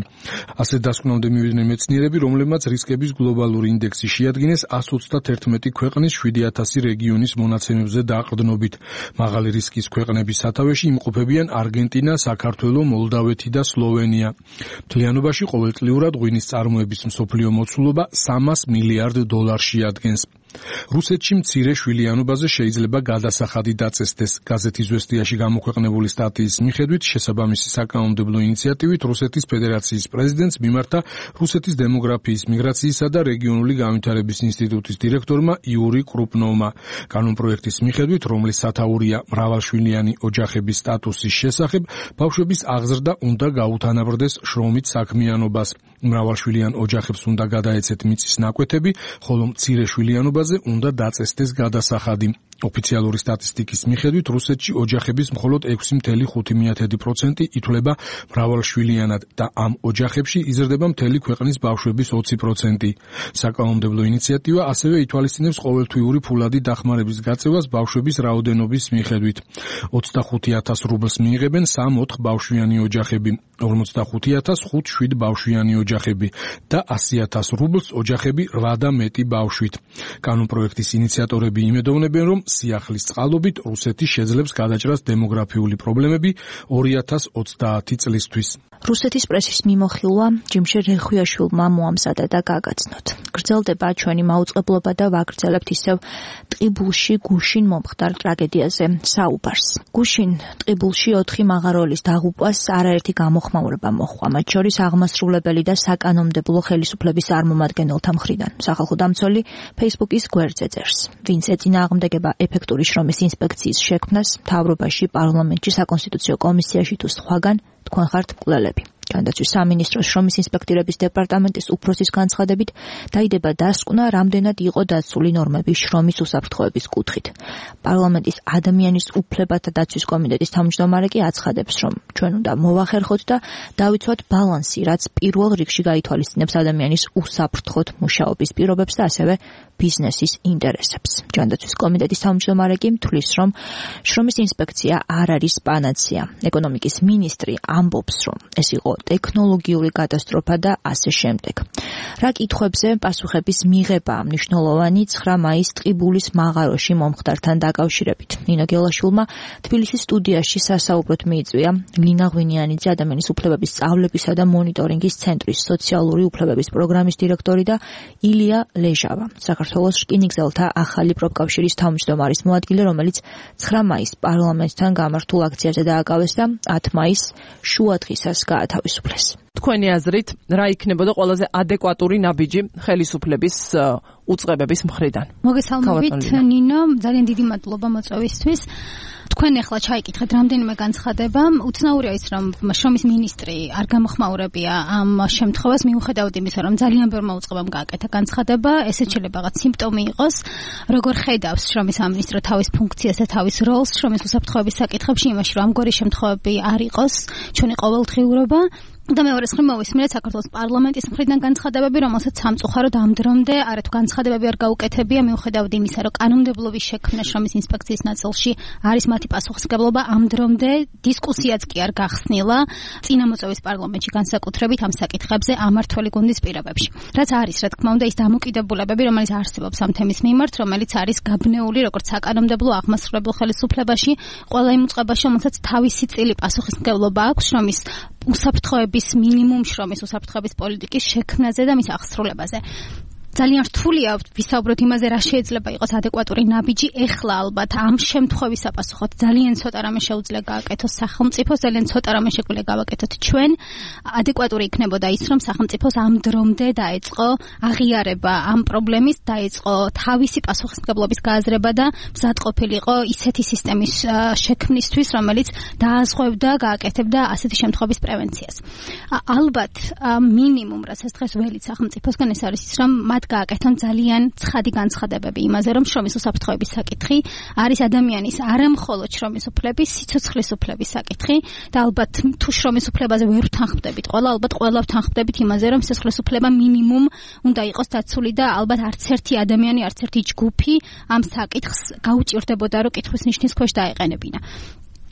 ასე დასკვნამდე მივიდნენ მეცნიერები, რომლებმაც რისკების გლობალური ინდექსი შეადგინეს 131 ქვეყნის 7000 რეგიონის მონაცემებზე დაყრდნობით. მაღალი რისკის ქვეყნების სათავეში იმყოფებიან არგენტინა, საქართველო, მოლდავეთი და სლოვენია. მთლიანობაში ყოველწლიურად ღვინის წარმოების მსოფლიო მოცულობა $300 მილიარდ შეადგენს. რუსეთში მცირე შვილიანობაზე შეიძლება გადასახადი დაწესდეს. გაზეთი ზვესტიაში გამოქვეყნებული სტატიის მიხედვით, შესაბამისი საკანონმდებლო ინიციატივით რუსეთის ფედერაციის პრეზიდენტს მიმართა რუსეთის დემოგრაფიის, მიგრაციისა და რეგიონული განვითარების ინსტიტუტის დირექტორმა იური კრუპნოვმა. კანონპროექტის მიხედვით, რომლის სათაურია მრავალშვილიანი ოჯახების სტატუსის შესახებ, ბავშვების აღზრდა უნდა გაუთანაბრდეს შრომით საქმიანობას. მრავალშვილიან ოჯახებს უნდა გადაეცეთ მიწის ნაკვეთები, ხოლო მცირე შვილიანობაზე უნდა დაწესდეს გადასახადი. ოფიციალური სტატისტიკის მიხედვით, რუსეთში ოჯახების მხოლოდ 6.5% ითვლება მრავალშვილიანად და ამ ოჯახებში იზრდება მთელი ქვეყნის ბავშვების 20%. საკანონმდებლო ინიციატივა ასევე ითვალისწინებს ყოველთვიური ფულადი დახმარების გაწევას ბავშვების რაოდენობის მიხედვით. 25,000 რუბლს მიიღებენ 3-4 ბავშვიანი ოჯახები, 45,000 5-7 ბავშვიანი ოჯახები და 100,000 რუბლს ოჯახები 8 და მეტი ბავშვით. კანონპროექტის ინიციატორები იმედოვნებენ, რომ სიახლის წყალობით რუსეთი შეძლებს გადაჭრას დემოგრაფიული პრობლემები 2030 წლისთვის. რუსეთის პრესის მიმოხილვა ჯიმშე რეხვიაშვილმა მოამზადა და გაგაცნოთ. გრძელდება ჩვენი მაუწყებლობა და ვაგრძელებთ ისევ ტყიბულში გუშინ მომხდარ ტრაგედიაზე საუბარს. გუშინ ტყიბულში 4 მაღაროელის დაღუპვას არაერთი გამოხმაურება მოჰყვა, მათ შორის აღმასრულებელი და საკანონმდებლო ხელისუფლების წარმომადგენელთა მხრიდან. სახალხო დამცველი Facebook-ის გვერდზე წერს, ვინც ეწინააღმდეგება ეფექტური შრომის ინსპექციის შექმნას მთავრობაში, პარლამენტში, საკონსტიტუციო კომისიაში თუ სხვაგან, თქვენ ხართ მკვლელები. ჯანდაცვის სამინისტროს შრომის ინსპექტირების დეპარტამენტის უფროსის განცხადებით დაიდება დასკვნა, რამდენად იყო დაცული ნორმები შრომის უსაფრთხოების კუთხით. პარლამენტის ადამიანის უფლებათა დაცვის კომიტეტის თავმჯდომარე კი აცხადებს, რომ ჩვენ უნდა მოვახერხოთ და დავიცვათ ბალანსი, რაც პირველ რიგში გაითვალისწინებს ადამიანის უსაფრთხოდ მუშაობის პირობებს და ასევე ბიზნესის ინტერესებს. ჯანდაცვის კომიტეტის თავმჯდომარე კი თვლის, რომ შრომის ინსპექცია არ არის პანაცეა. ეკონომიკის მინისტრი ამბობს, რომ ეს იყო ტექნოლოგიური კატასტროფა და ასე შემდეგ. რა კითხვებზე პასუხების მიღება მნიშვნელოვანი 9 მაისს ტყიბულის მაღაროში მომხდართან დაკავშირებით. ნინო გელაშვილმა თბილისის სტუდიაში სასაუბროდ მიიწვია ლინა ღვინიანიძე, ადამიანის უფლებების სწავლებისა და მონიტორინგის ცენტრის სოციალური უფლებების პროგრამის დირექტორი და ილია ლეჟავა, საქართველოს რკინიგზელთა ახალი პროფკავშირის თავმჯდომარის მოადგილე, რომელიც 9 მაისს პარლამენტთან გამართულ აქციაზე დააკავეს და 10 მაისს შუადღისას გაათავისუფლეს. თქვენი აზრით, რა იქნებოდა ყველაზე ადეკვატური ნაბიჯი ხელისუფლების უწყებების მხრიდან? მოგესალმებით, ნინო, ძალიან დიდი მადლობა მოწვევისთვის. თქვენ ახლა ჩაიკითხეთ რამდენიმე განცხადება. უცნაურია ის, რომ შრომის მინისტრი არ გამოხმაურებია ამ შემთხვევას, მიუხედავად იმისა, რომ ძალიან ბევრმა უწყებამ გააკეთა განცხადება, ესეც შეიძლება რაღაც სიმპტომი იყოს, როგორ ხედავს შრომის სამინისტრო თავის ფუნქციას და თავის როლს შრომის უსაფრთხოების საკითხებში, იმაში, რომ ამგვარი შემთხვევები არ იყოს ჩვენი ყოველდღიურობა. და მეორეს მხრივ მოვისმინეთ საქართველოს პარლამენტის მხრიდან განცხადებები, რომელსაც სამწუხაროდ ამ დრომდე არათუ განცხადებები არ გაუკეთებია, მიუხედავად იმისა, რომ კანონმდებლობის შექმნა შრომის ინსპექციის ნაწილში არის მათი პასუხისმგებლობა, ამ დრომდე დისკუსიაც კი არ გახსნილა წინამოწვევის პარლამენტში განსაკუთრებით ამ საკითხებზე ამართველი გუნდის პირობებში. რაც არის, რა თქმა უნდა, ის დამოკიდებულებები, რომელიც არსებობს ამ თემის მიმართ, რომელიც არის გაბნეული როგორც საკანონმდებლო აღმასრულებელ ხელისუფლებაში, ყველა იმ უწყებაში, რომელსაც თავისი წილი პასუხისმგებლობა აქვს შრომის უსაფრთხოების მინიმუმ შრომის უსაფრთხოების პოლიტიკის შექმნაზე და მის აღსრულებაზე. ძალიან რთულია ვისაუბროთ იმაზე, რა შეიძლება იყოს ადეკვატური ნაბიჯი. ეხლა ალბათ ამ შემთხვევის საპასუხოდ ძალიან ცოტა რამე შეუძლია გააკეთოს სახელმწიფოს, ძალიან ცოტა რამე შეგვიძლია გავაკეთოთ ჩვენ. ადეკვატური იქნებოდა ის, რომ სახელმწიფოს ამ დრომდე დაეწყო აღიარება ამ პრობლემის, დაეწყო თავისი პასუხისმგებლობის გააზრება და მზადყოფილიყო ისეთი სისტემის შექმნისთვის, რომელიც დააზღვევდა, გააკეთებდა ასეთი შემთხვევების პრევენციას. ალბათ მინიმუმ, რასაც დღეს ველით სახელმწიფოსგან ეს არის ის, რომ გააკეთონ ძალიან ცხადი განცხადებები იმაზე, რომ შრომის უსაფრთხოების საკითხი არის ადამიანის არამხოლოდ შრომის უფლების, სიცოცხლის უფლების საკითხი და ალბათ თუ შრომის უფლებაზე ვერ ვთანხმდებით ყველა, ალბათ ყველა ვთანხმდებით იმაზე, რომ სიცოცხლის უფლება მინიმუმ უნდა იყოს დაცული და ალბათ არც ერთი ადამიანი, არც ერთი ჯგუფი ამ საკითხს გაუჭირდებოდა, რომ კითხვის ნიშნის ქვეშ დაეყენებინა.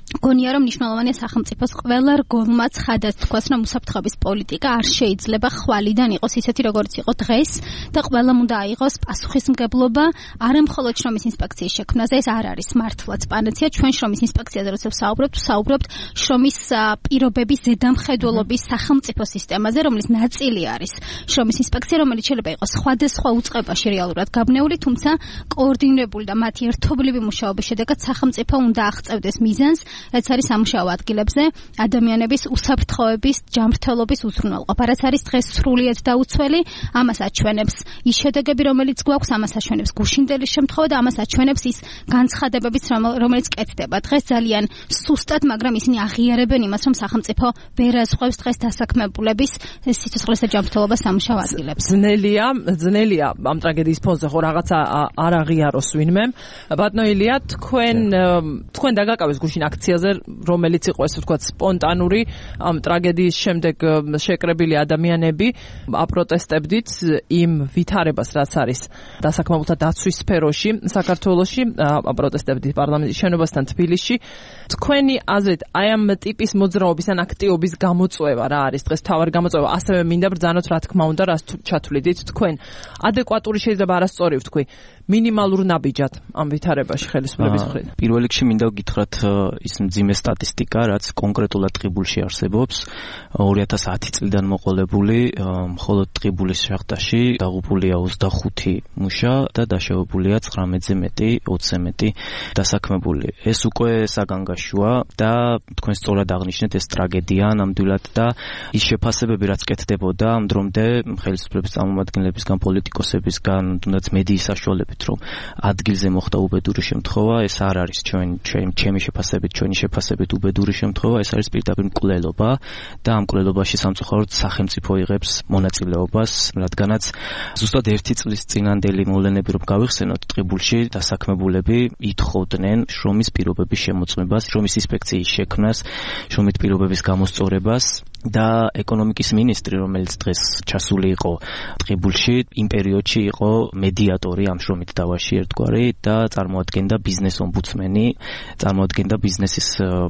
გონია რომ მნიშვნელოვანია სახელმწიფოს ყველა რგოლმა ცხადად თქვას, რომ უსაფრთხოების პოლიტიკა არ შეიძლება ხვალიდან იყოს ისეთი, როგორც იყო დღეს და ყველამ უნდა აიღოს პასუხისმგებლობა არამხოლოდ შრომის ინსპექციის შექმნაზე. ეს არ არის მართლაც პანაცეა. ჩვენ შრომის ინსპექციაზე როცა ვსაუბრობთ შრომის პირობების ზედამხედველობის სახელმწიფო სისტემაზე, რომლის ნაწილი არის შრომის ინსპექცია, რომელიც შეიძლება იყოს სხვადასხვა უწყებაში რეალურად გაბნეული, თუმცა კოორდინირებული და მათი ერთობლივი მუშაობის შედეგად სახელმწიფო უნდა აღწევდეს მიზანს, რაც არის სამუშაო ადგილებზე ადამიანების უსაფრთხოების ჯანმრთელობის უზრუნველყოფა. რაც არის დღეს სრულიად დაუცველი, ამას აჩვენებს ის შედეგები, რომელიც გვაქვს, ამას აჩვენებს გუშინდელის შემთხვევა და ამას აჩვენებს ის განცხადებებიც, რომელიც კეთდება დღეს ძალიან სუსტად, მაგრამ ისინი აღიარებენ იმას, რომ სახელმწიფო ვერ აზღვევს დღეს დასაქმებულების სიცოცხლეს და ჯანმრთელობას სამუშაო ადგილებს. ძნელია ამ ტრაგედიის ფონზე ხო რაღაცა არ აღიაროს ვინმე. ბატონო ილია, თქვენ დაგაკავეს გუშინ აქციაზე, რომელიც იყო ესე ვთქვათ სპონტანური, ამ ტრაგედიის შემდეგ შეკრებილი ადამიანები აპროტესტებდით იმ ვითარებას, რაც არის დასაქმებულთა დაცვის სფეროში საქართველოში, აპროტესტებდით პარლამენტის შენობასთან თბილისში. თქვენი აზრით, აი ამ ტიპის მოძრაობის ან აქტივობის გამოწვევა რა არის დღეს თავარი გამოწვევა? ასევე მინდა ბრძანოთ, რა თქმა უნდა, რას ჩათვლიდით თქვენ. ადეკვატური შეიძლება არასწორი ვთქვი, მინიმალურ ნაბიჯად ამ ვითარებაში ხელისუფლების მხრიდან. პირველ რიგში მინდა გითხრათ ის მძიმე სტატისტიკა, რაც კონკრეტულად ტყიბულში არსებობს. 2010 წლიდან მოყოლებული, მხოლოდ ტყიბულის შახტაში დაღუპულია 25 მუშა და დაშავებულია 19-ზე მეტი, 20-ზე მეტი დასაქმებული. ეს უკვე საგანგაშოა და თქვენ სწორად აღნიშნეთ, ეს ტრაგედია ნამდვილად და ის შეფასებები, რაც კეთდებოდა ამ დრომდე ხელისუფლების წარმომადგენლებისგან, პოლიტიკოსებისგან, თუნდაც მედიის საშუალებებით ვიტყოდით, რომ ადგილზე მოხდა უბედური შემთხვევა, ეს არ არის ჩემი შეფასებით, ჩვენი შეფასებით უბედური შემთხვევა, ეს არის პირდაპირ მკვლელობა და ამ მკვლელობაში სამწუხაროდ სახელმწიფო იღებს მონაწილეობას, რადგანაც ზუსტად 1 წლის წინანდელი მოვლენები რომ გავიხსენოთ, ტყიბულში დასაქმებულები ითხოვდნენ შრომის პირობების შემოწმებას, შრომის ინსპექციის შექმნას, შრომით პირობების გამოსწორებას და ეკონომიკის მინისტრი, რომელიც დღეს ჩასული იყო ტყიბულში, იმ პერიოდში იყო მედიატორი ამ შრომით დავაში ერთგვარი და წარმოადგენდა ბიზნეს ომბუდსმენი, წარმოადგენდა ბიზნესის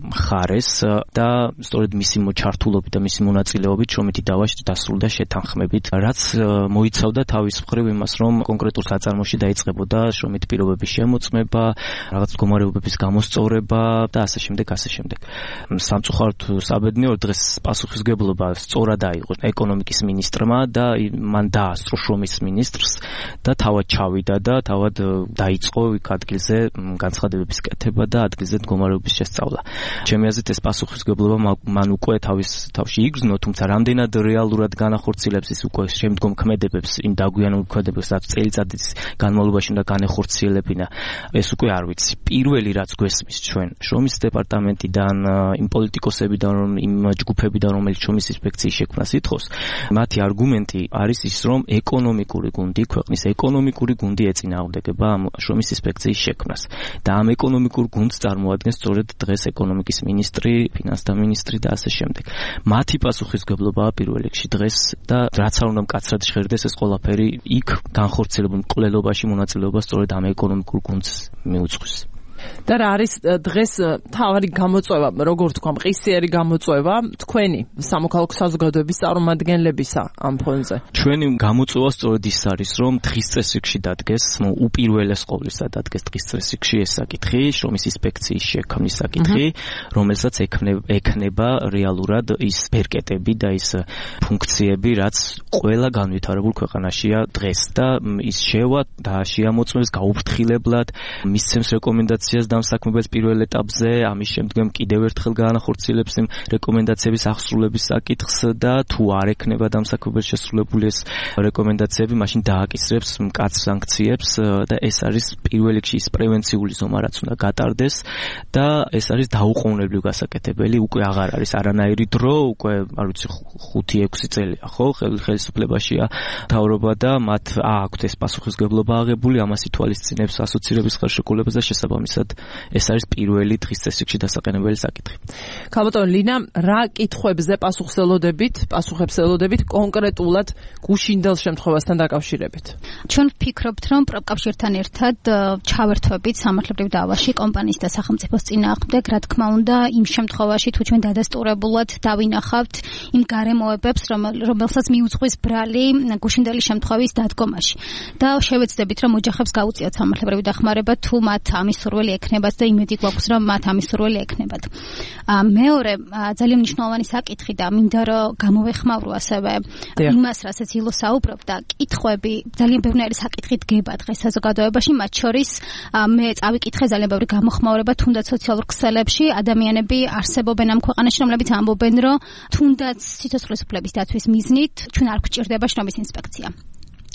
მხარეს და სწორედ მისი ჩართულობით და მისი მონაწილეობით შრომითი დავაში დასრულდა შეთანხმებით, რაც მოიცავდა თავის მხრივ იმას, რომ კონკრეტულ საწარმოში დაიწყებოდა შრომით პირობების შემოწმება, რაღაც მდგომარეობების გამოსწორება და ასე შემდეგ. სამწუხაროდ საბედნიეროდ დღეს პასუხისმგებლობა სწორად აიღო ეკონომიკის მინისტრმა და მან დაასწრო შრომის მინისტრს და თავად ჩავიდა და თავად დაიწყო იქ ადგილზე განცხადებების კეთება და ადგილზე მდგომარეობის შესწავლა. ჩემი აზრით ეს პასუხისმგებლობა მან უკვე თავში იგრძნო, თუმცა რამდენად რეალურად განახორციელებს ის უკვე შემდგომ ქმედებებს, იმ დაგვიანებულ ქმედებებს, რაც წელიწადის განმავლობაში უნდა განეხორციელებინა, ეს უკვე არ ვიცი. პირველი რაც გვესმის ჩვენ შრომის დეპარტამენტიდან, იმ პოლიტიკოსებიდან, იმ ჯგუფებიდან, რომელიც შრომის ინსპექციის შექმნას ითხოვს, მათი არგუმენტი არის ის, რომ ეკონომიკური გუნდი, ქვეყნის ეკონომიკური გუნდი ეწინააღმდეგება ამ შრომის ინსპექციის შექმნას. და ამ ეკონომიკურ გუნდს წარმოადგენს სწორედ დღეს ეკონომიკის მინისტრი, ფინანსთა მინისტრი და ასე შემდეგ. მათი პასუხისმგებლობაა პირველ რიგში დღეს და რაც არ უნდა მკაცრად ჟღერდეს ეს ყველაფერი იქ განხორციელებულ მკვლელობაში მონაწილეობა სწორედ ამ ეკონომიკურ გუნდს მიუძღვის. და რა არის დღეს თავარი გამოწვევა, როგორ თქვა, მყისიერი გამოწვევა თქვენი სამოქალაქო საზოგადოების წარმომადგენლებისა ამ ფონზე? ჩვენი გამოწვევა სწორედ ის არის, რომ დღის წესრიგში დადგეს, უპირველეს ყოვლისა დადგეს დღის წესრიგში ეს საკითხი, შრომის ინსპექციის შექმნის საკითხი, რომელსაც ექნება რეალურად ის ბერკეტები და ის ფუნქციები, რაც ყველა განვითარებულ ქვეყანაშია დღეს და ის შევა და შეამოწმებს გაუფრთხილებლად, მისცემს რეკომენდაციას დამსაქმებელს პირველ ეტაპზე, ამის შემდგომ კიდევ ერთხელ განახორციელებს იმ რეკომენდაციების აღსრულების საკითხს და თუ არ ექნება დამსაქმებელს შესრულებული ეს რეკომენდაციები, მაშინ დააკისრებს მკაცრ სანქციებს და ეს არის პირველ რიგში ის პრევენციული ზომა, რაც უნდა გატარდეს და ეს არის დაუყოვნებლივ გასაკეთებელი, უკვე აღარ არის არანაირი დრო, უკვე არ ვიცი 5-6 წელია, ხო, ხელისუფლებაშია მთავრობა და მათ აქვთ ეს პასუხისმგებლობა აღებული, ამას ითვალისწინებს ასოცირების ხელშეკრულებას და შესაბამისად ეს არის პირველი დღის წესრიგში დასაყენებელი საკითხი. ქალბატონო ლინა, რა კითხვებზე პასუხებს ელოდებით კონკრეტულად გუშინდელ შემთხვევასთან დაკავშირებით? ჩვენ ვფიქრობთ, რომ პროფკავშირთან ერთად ჩავერთვებით სამართლებრივ დავაში კომპანიის და სახელმწიფოს წინააღმდეგ, რა თქმა უნდა, იმ შემთხვევაში თუ ჩვენ დადასტურებულად დავინახავთ იმ გარემოებებს, რომელსაც მიუძღვის ბრალი გუშინდელი შემთხვევის დადგომაში. და შევეცდებით, რომ ოჯახებს გაუწიოთ სამართლებრივი დახმარება, თუ მათ ამის სურვილი ექნებათ და იმედი გვაქვს, რომ მათ ამის სურვილი ექნებათ. მეორე ძალიან მნიშვნელოვანი საკითხი და მინდა რომ გამოვეხმავრო ასევე იმას, რასაც ილო საუბრობდა, კითხვები ძალიან ბევრი საკითხი დგება დღეს საზოგადოებაში, მათ შორის მე წავიკითხე ძალიან ბევრი გამოხმაურება თუნდაც სოციალურ ქსელებში, ადამიანები არსებობენ ამ ქვეყანაში, რომლებიც ამბობენ, რომ თუნდაც სიცოცხლის უფლების დაცვის მიზნით ჩვენ არ გვჭირდება შრომის ინსპექცია.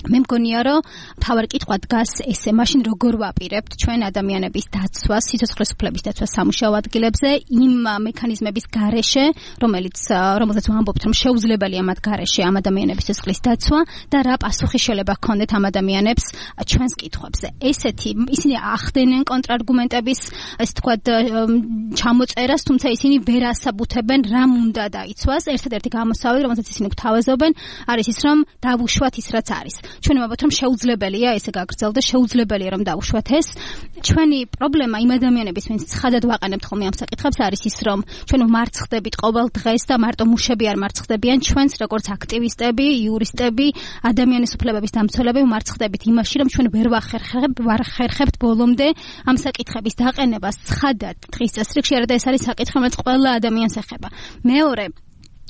მე მგონია, რომ მთავარი კითხვა დგას ესე, მაშინ როგორ ვაპირებთ ჩვენ ადამიანების დაცვას, სიცოცხლის უფლების დაცვას სამუშაო ადგილებზე, იმ მექანიზმების გარეშე, რომელსაც ვამბობთ, რომ შეუძლებელია მათ გარეშე ამ ადამიანების სიცოცხლის დაცვა და რა პასუხი შეიძლება ჰქონდეთ ამ ადამიანებს ჩვენს კითხვებზე. ისინი ახდენენ კონტრარგუმენტების, ასე ვთქვათ, ჩამოწერას, თუმცა ისინი ვერ ასაბუთებენ, რამ უნდა დაიცვას. ერთადერთი გამოსავალი, რომელსაც ისინი გვთავაზობენ, არის ის, რომ დავუშვათ ის, რაც არის. ჩვენ ვამბობთ, რომ შეუძლებელია ესე გაგრძელდეს, შეუძლებელია რომ დავუშვათ ეს. ჩვენი პრობლემა იმ ადამიანების, ვინც ცხადად ვაყენებთ ხოლმე ამ საკითხებს, არის ის, რომ ჩვენ ვმარცხდებით ყოველ დღეს და მარტო მუშები არ მარცხდებიან, ჩვენც როგორც აქტივისტები, იურისტები, ადამიანის უფლებების დამცველები ვმარცხდებით იმაში, რომ ჩვენ ვერ ვახერხებთ ბოლომდე ამ საკითხების დაყენებას ცხადად დღის წესრიგში, არა და ეს არის საკითხი, რომელიც ყველა ადამიანს ეხება. მეორე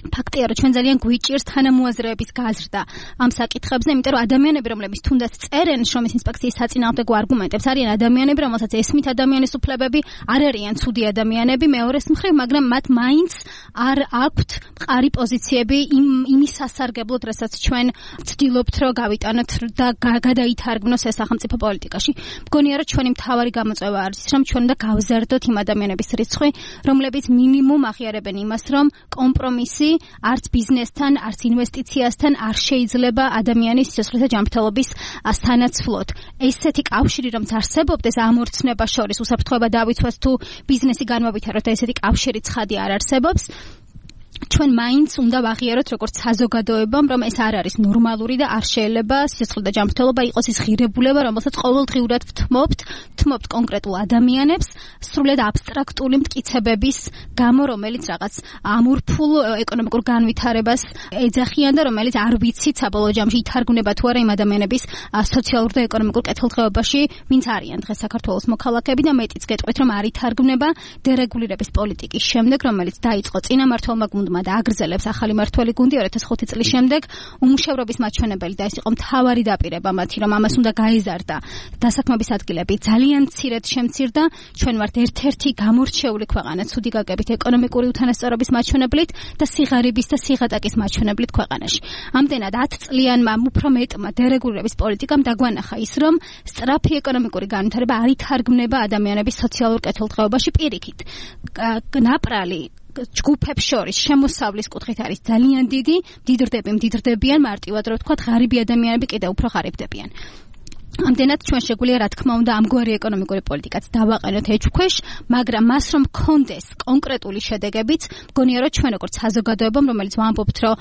ფაქტია, რომ ჩვენ ძალიან გვიჭირს თანამოაზრეების გაზრდა ამ საკითხებზე, იმიტომ რომ ადამიანები, რომლებიც თუნდაც წერენ შრომის ინსპექციის საწინააღმდეგო არგუმენტებს, არიან ადამიანები, რომელსაც ესმით ადამიანის უფლებები, არ არიან ცუდი ადამიანები, მეორეს მხრივ, მაგრამ მათ მაინც არ აქვთ მყარი პოზიციები იმის სასარგებლოდ, რასაც ჩვენ ვცდილობთ, რომ გავიტანოთ და გადაითარგმნოს ეს სახელმწიფო პოლიტიკაში. მგონია, რომ ჩვენი მთავარი გამოწვევა არის ის, რომ ჩვენ უნდა გავზარდოთ იმ ადამიანების რიცხვი, რომლებიც მინიმუმ აღიარებენ იმას, რომ კომპრომისი არც ბიზნესთან, არც ინვესტიციასთან არ შეიძლება ადამიანის სიცოცხლეთა ჯანმრთელობის სანაცვლოდ. ესეთი კავშირი რომ არსებობდეს ამ ორ ცნებას შორის, უსაფრთხოება დავიცვას თუ ბიზნესი განმოვითაროთ და ესეთი კავშირი ცხადი არ არსებობს, ჩვენ მაინც უნდა ვაღიაროთ როგორც საზოგადოებამ, რომ ეს არ არის ნორმალური და არ შეიძლება სიცოცხლეთა ჯანმრთელობა იყოს ის ღირებულება, რომელსაც ყოველდღიურად ვთმობთ კონკრეტულ ადამიანებს, სრულად აბსტრაქტული მტკიცებების გამო, რომელიც რაღაც ამორფულ ეკონომიკურ განვითარებას ეძახიან და რომელიც არ ვიცით საბოლოო ჯამში ითარგმნება თუ არა იმ ადამიანების სოციალურ და ეკონომიკურ კეთილდღეობაში, ვინც არიან დღეს საქართველოს მოქალაქეები და მეტიც გეტყვით, რომ არ ითარგმნება დერეგულირების პოლიტიკის შემდეგ, რომელიც დაიწყო წინამმართველმა გუნდმა და აგრძელებს ახალი მმართველი გუნდი 2005 წლის შემდეგ. უმუშევრობის მაჩვენებელი და ეს იყო მთავარი დაპირება მათი, რომ ამას უნდა გაეზარდა დასაქმების ადგილები ძალიან მცირედ შემცირდა. ჩვენ ვართ ერთ-ერთი გამორჩეული ქვეყანა ცუდი გაგებით ეკონომიკური უთანასწორობის მაჩვენებლით და სიღარიბის და სიღატაკის მაჩვენებლით ქვეყანაში. ამდენად 10 წლიანმა უფრო მეტმა დერეგულირების პოლიტიკამ დაგვანახა ის, რომ სწრაფი ეკონომიკური განვითარება არ ითარგმნება ადამიანების სოციალურ კეთილდღეობაში პირიქით. ნაპრალი ჯგუფებს შორის შემოსავლის კუთხით არის ძალიან დიდი, მდიდრდებიან, მარტივად რო ვთქვათ, ღარიბი ადამიანები კიდევ უფრო ღარიბდებიან. ამდენად ჩვენ შეგვიძლია რა თქმა უნდა ამგვარი ეკონომიკური პოლიტიკაც დავაყენოთ ეჭვქვეშ, მაგრამ მას რომ კონდეს კონკრეტული შედეგებიც, მგონია რომ ჩვენ როგორც საზოგადოებამ, რომელიც ვამბობთ, რომ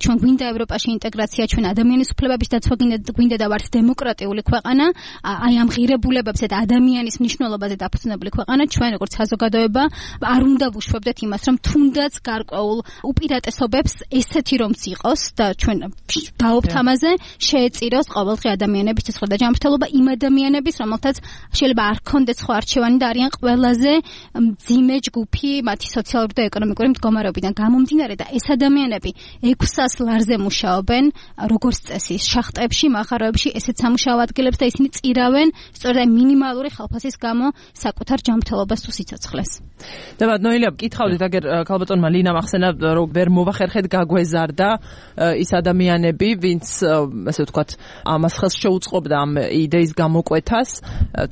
ჩვენ გვინდა ევროპაში ინტეგრაცია, ჩვენ ადამიანის უფლებების დაცვა გვინდა და ვართ დემოკრატიული ქვეყანა, აი ამ ღირებულებებზე და ადამიანის მნიშვნელობაზე დაფუძნებული ქვეყანა, ჩვენ როგორც საზოგადოება არ უნდა ვუშვებდეთ იმას, რომ თუნდაც გარკვეულ უპირატესობებს ესეთი რომც იყოს და ჩვენ დავობთ ამაზე, შეეწიროს ყოველდღე ადამიანების სიცოცხლე და ჯანმრთელობა იმ ადამიანების, რომელთაც შეიძლება არ ქონდეს სხვა არჩევანი და არიან ყველაზე მძიმე ჯგუფი მათი სოციალური და ეკონომიკური მდგომარეობიდან გამომდინარე და ეს ადამიანები 600 ლარზე მუშაობენ როგორც წესი შახტებში, მაღაროებში, ესეთ სამუშაო ადგილებს და ისინი წირავენ სწორედ მინიმალური ხელფასის გამო საკუთარ ჯანმრთელობას თუ სიცოცხლეს. ნოილია, გითხავდით, აგერ ქალბატონმა ლინამ ახსენა, რომ ვერ მოვახერხეთ გაგვეზარდა ის ადამიანები, ვინც ასე ვთქვათ, ამას ხელს შეუწყობდა ამ იდეის გამოკვეთას.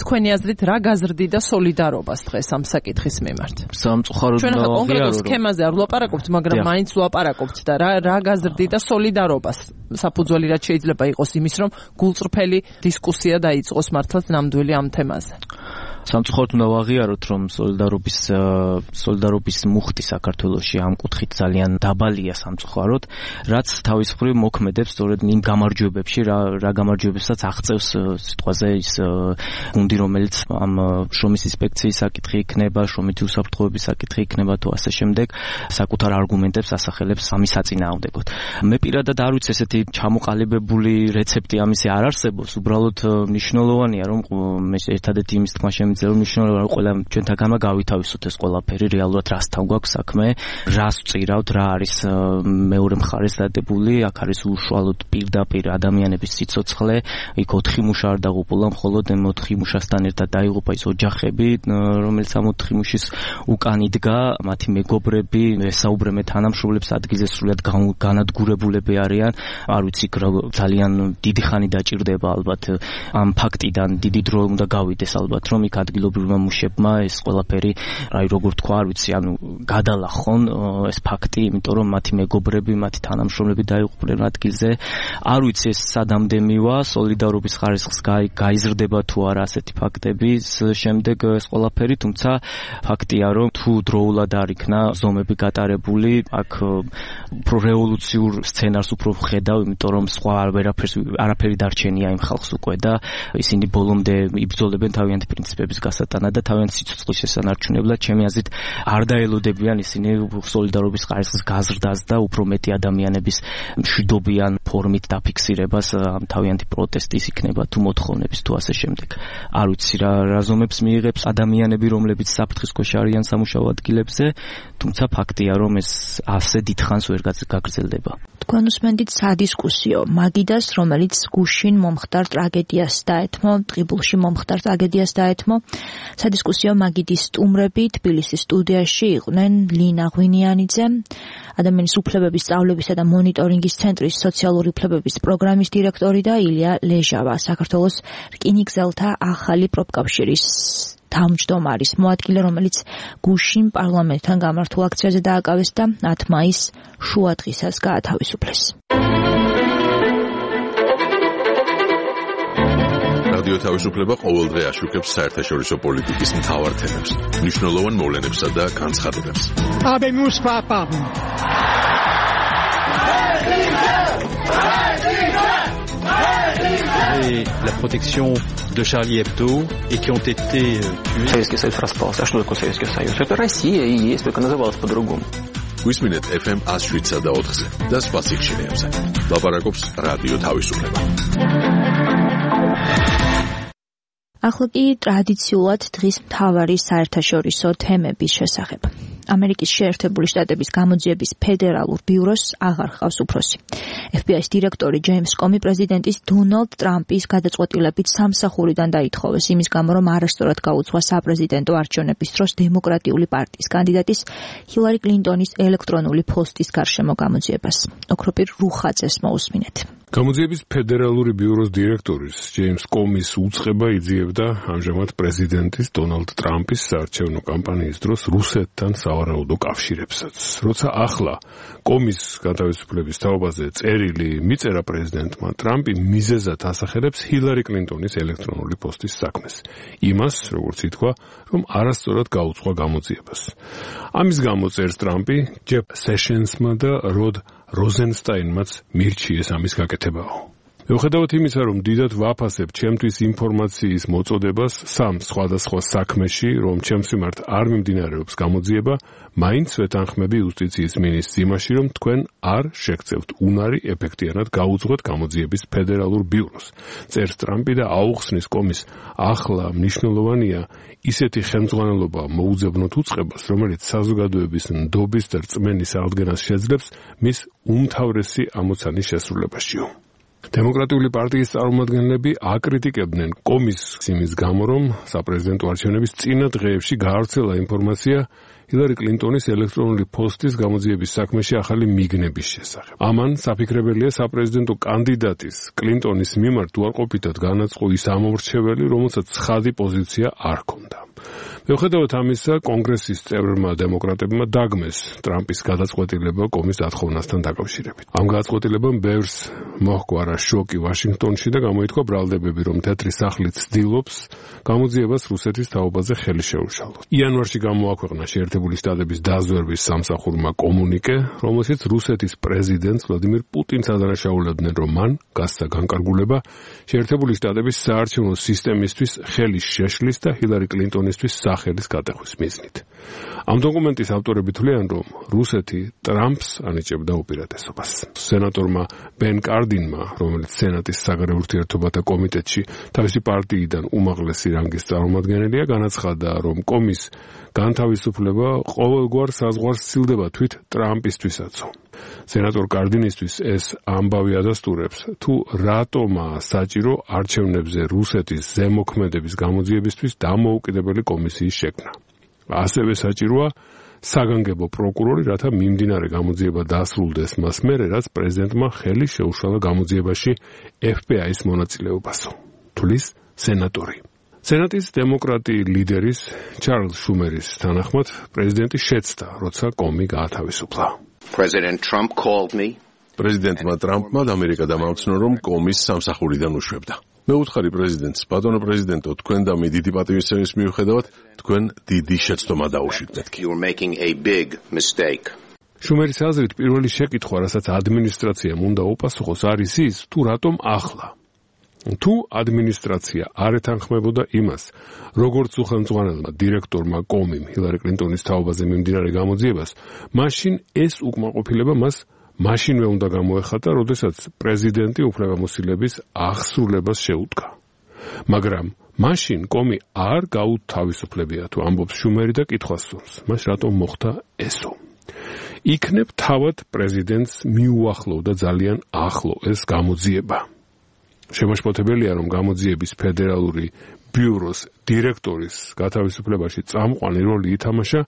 თქვენი აზრით რა გაზრდიდა სოლიდარობას დღეს ამ საკითხის მიმართ? სამწუხაროდ ჩვენ კონკრეტულ სქემაზე არ ვლაპარაკობთ, მაგრამ მაინც ვლაპარაკობთ და რა გაზრდიდა სოლიდარობას? საფუძველი რაც შეიძლება იყოს იმის, რომ გულწრფელი დისკუსია დაიწყოს მართლაც ნამდვილი ამ თემაზე. სამწუხაროდ უნდა ვაღიაროთ, რომ სოლიდარობის მუხტი საქართველოში ამ კუთხით ძალიან დაბალია სამწუხაროდ, რაც თავის მხრივ მოქმედებს სწორედ იმ გამარჯვებებში, რა გამარჯვებებსაც აღწევს სიტყვაზე ის გუნდი, რომელიც ამ შრომის ინსპექციის საკითხი იქნება, შრომითი უსაფრთხოების საკითხი იქნება თუ ასე შემდეგ, საკუთარ არგუმენტებს ასახელებს ამის საწინააღმდეგოდ. მე პირადად არ ვიცი ესეთი ჩამოყალიბებული რეცეპტი ამისი არ არსებობს, უბრალოდ მნიშვნელოვანია, რომ ერთადერთი იმის თქმა შემიძლია რომ მნიშვნელოვანია რომ ყველა ჩვენთაგანმა გავითავისოთ ეს ყველაფერი რეალურად რასთან გვაქვს საქმე, რას ვწირავთ, რა არის მეორე მხარეს დადებული, აქ არის უშუალოდ პირდაპირ ადამიანების სიცოცხლე, იქ 4 მუშა არ დაღუპულა, მხოლოდ 4 მუშასთან ერთად დაიღუპა ის ოჯახები, რომელიც ამ 4 მუშის უკან იდგა, მათი მეგობრები, ესაუბრებენ თანამშრომლებს ადგილზე სრულად განადგურებულები არიან, არ ვიცი ძალიან დიდი ხანი დაჭირდება ალბათ ამ ფაქტიდან დიდი დრო უნდა გავიდეს ალბათ რომ იქ ადგილობრივმა მუშებმა ეს ყველაფერი, აი როგორ თქვა, არ ვიცი, ანუ გადალახონ ეს ფაქტი, იმიტომ რომ მათი მეგობრები, მათი თანამშრომლები დაიღუპნენ ადგილზე. არ ვიცი ეს სადამდე მივა, სოლიდარობის ხარისხს გაიზრდება თუ არა ასეთი ფაქტების შემდეგ ეს ყველაფერი, თუმცა ფაქტია რომ თუ დროულად არ იქნა ზომები გატარებული, აქ უფრო რევოლუციურ სცენარს უფრო ხედავ, იმიტომ რომ სხვა არაფერი დარჩენია იმ ხალხს უკვე და ისინი ბოლომდე იბრძოლებენ თავიანთი პრინციპების ხელისუფლების გასატანად და თავიანთი სიცოცხლის შესანარჩუნებლად ჩემი აზრით არ დაელოდებიან ისინი სოლიდარობის ხარისხის გაზრდას და უფრო მეტი ადამიანების მშვიდობიან ფორმით დაფიქსირებას თავიანთი პროტესტის იქნება თუ მოთხოვნების თუ ასე შემდეგ. არ ვიცი რა ზომებს მიიღებს ადამიანები, რომლებიც საფრთხის ქვეშ არიან სამუშაო ადგილებზე, თუმცა ფაქტია, რომ ეს ასე დიდხანს ვერ გაგრძელდება. თქვენ უსმენთ სადისკუსიო მაგიდას, რომელიც გუშინ მომხდარ ტრაგედიას დაეთმო, ტყიბულში მომხდარ ტრაგედიას დაეთმო. სადისკუსიო მაგიდის სტუმრები თბილისის სტუდიაში იყვნენ ლინა ღვინიანიძე, ადამიანის უფლებების სწავლებისა და მონიტორინგის ცენტრის სოციალური უფლებების პროგრამის დირექტორი და ილია ლეჟავა, საქართველოს რკინიგზელთა ახალი პროფკავშირის თავმჯდომარის მოადგილე, რომელიც გუშინ პარლამენტთან გამართულ აქციაზე დააკავეს და 10 მაისს შუადღისას გაათავისუფლეს. რადიო თავისუფლება ყოველდღე აშუქებს საერთაშორისო პოლიტიკის მთავარ თემებს, მნიშვნელოვან მოვლენებსა და განცხადებებს. La protection de Charlie Hebdo et qui ont été tués. Советский Союз распался. А что такое Советский Союз? Это Россия и есть, только называлась по-другому. Გვისმინეთ FM 107 და 4-ზე და სხვა სიხშირეებზე. ლაპარაკობს რადიო თავისუფლება. ახლა კი ტრადიციულად დღის მთავარი საერთაშორისო თემების შესახებ. ამერიკის შეერთებული შტატების გამოძიების ფედერალურ ბიუროს აღარ ჰყავს უფროსი. FBI-ის დირექტორი ჯეიმს კომი პრეზიდენტის დონალდ ტრამპის გადაწყვეტილებით სამსახურიდან დაითხოვეს იმის გამო, რომ არასწორად გაუძღვა საპრეზიდენტო არჩევნების დროს დემოკრატიული პარტიის კანდიდატის ჰილარი კლინტონის ელექტრონული ფოსტის გარშემო გამოძიებას. ოქროპირ რუხაძეს მოусმინეთ. გამოძიების ფედერალური ბიუროს დირექტორის ჯეიმს კომის უწყება იძიებდა ამჟამად პრეზიდენტის დონალდ ტრამპის საარჩევნო კამპანიის დროს რუსეთთან სავარაუდო კავშირებსაც. როცა ახლა კომის განთავისუფლების თაობაზე წერილი მიწერა პრეზიდენტმა, ტრამპი მიზეზად ასახელებს ჰილარი კლინტონის ელექტრონული პოსტის საქმეს. იმას, როგორც ითქვა, რომ არასწორად გაუძღვა გამოძიებას. ამის გამო წერს ტრამპი ჯეფ სეშენსმა და როდ როზენსტაინმაც მირჩიეს ამის გაკეთებაო. მიუხედავად იმისა, რომ დიდად ვაფასებ ჩემთვის ინფორმაციის მოწოდებას სამ სხვადასხვა საქმეში, რომ ჩემს მიმართ არ მიმდინარეობს გამოძიება, მაინც ვეთანხმები იუსტიციის მინისტრს იმაში, რომ თქვენ არ შეგწევთ უნარი ეფექტიანად გაუძღვეთ გამოძიების ფედერალურ ბიუროს. წერს ტრამპი და აუხსნის კომის ახლა მნიშვნელოვანია ისეთი ხელმძღვანელობა მოუძებნოთ უწყებას, რომელიც საზოგადოების ნდობის და რწმენის აღდგენას შეძლებს მის უმთავრესი ამოცანის შესრულებაშიო. დემოკრატიული პარტიის წარმომადგენლები აკრიტიკებდნენ კომის იმის გამო, რომ საპრეზიდენტო არჩევნების წინა დღეებში გაავრცელა ინფორმაცია ჰილარი კლინტონის ელექტრონული პოსტის გამოძიების საქმეში ახალი მიგნების შესახებ. ამან საფიქრებელია საპრეზიდენტო კანდიდატის კლინტონის მიმართ უარყოფითად განაწყო ის ამორჩეველი, რომელსაც ცხადი პოზიცია არ ჰქონდა. მიუხედავად ამისა, კონგრესის წევრმა დემოკრატებმა დაგმეს ტრამპის გადაწყვეტილება კომის დათხოვნასთან დაკავშირებით. ამ გადაწყვეტილებამ ბევრს მოჰყვა შოკი ვაშინგტონში და გამოითქვა ბრალდებები, რომ თეთრი სახლი ცდილობს გამოძიებას რუსეთის თაობაზე ხელი შეუშალოს. იანვარში გამოაქვეყნა შეერთებული შტატების დაზვერვის სამსახურმა კომუნიკე, რომელშიც რუსეთის პრეზიდენტს ვლადიმირ პუტინს ადანაშაულებდნენ, რომ მან გასცა განკარგულება შეერთებული შტატების საარჩევნო სისტემისთვის ხელის შეშლის და ჰილარი კლინტონისთვის სახელის გადახვის მიზნით. ამ დოკუმენტის ავტორები თვლიან, რომ რუსეთი ტრამპს ანიჭებდა უპირატესობას. სენატორმა ბენ კარდინმა, რომელიც სენატის საგარეო ურთიერთობათა კომიტეტში თავისი პარტიიდან უმაღლესი რანგის წარმომადგენელია, განაცხადა, რომ კომის განთავისუფლება ყოველგვარ საზღვარს სცილდება თვით ტრამპისთვისაც. სენატორ კარდინისთვის ეს ამბავი ადასტურებს, თუ რატომაა საჭირო არჩევნებზე რუსეთის ზემოქმედების გამოძიებისთვის დამოუკიდებელი კომისიის შექმნა. ასევე საჭიროა საგანგებო პროკურორი, რათა მიმდინარე გამოძიება დასრულდეს მას მერე, რაც პრეზიდენტმა ხელი შეუშალა გამოძიებაში FBI-ის მონაწილეობასო. თulis სენატორი. სენატის დემოკრატი ლიდერის ჩარლზ შუმერის თანახმად პრეზიდენტი შეცდა, როცა კომი გაათავისუფლა. პრეზიდენტმა ტრამპმა ამერიკა დამაუცნო, რომ კომის სამსახურიდან უშვებდა. მე უთხარი პრეზიდენტს, ბატონო პრეზიდენტო, თქვენ და მე დიდი პატივისცემის მიუხედავად, თქვენ დიდი შეცდომა დაუშვით. შუმერის აზრით, პირველი შეკითხვა, რასაც ადმინისტრაციამ უნდა უპასუხოს, არის ის, თუ რატომ ახლა. თუ ადმინისტრაცია არ ეთანხმებოდა იმას, როგორც უხელმძღვანელმა დირექტორმა კომიმ ჰილარი კლინტონის თაობაზე მიმდინარე გამოძიებას, მაშინ ეს უკმაყოფილება მას მაშინვე უნდა გამოეხატა, როდესაც პრეზიდენტი უფლებამოსილების აღსრულებას შეუდგა. მაგრამ მაშინ კომი არ გაუთავისუფლებია, თუ ამბობს შუმერი და კითხვას სურს, მას რატომ მოხდა ესო? იქნებ თავად პრეზიდენტს მიუახლოვდა ძალიან ახლო ეს გამოძიება. შემაშფოთებელია, რომ გამოძიების ფედერალური ბიუროს დირექტორის გათავისუფლებაში წამყვანი როლი ითამაშა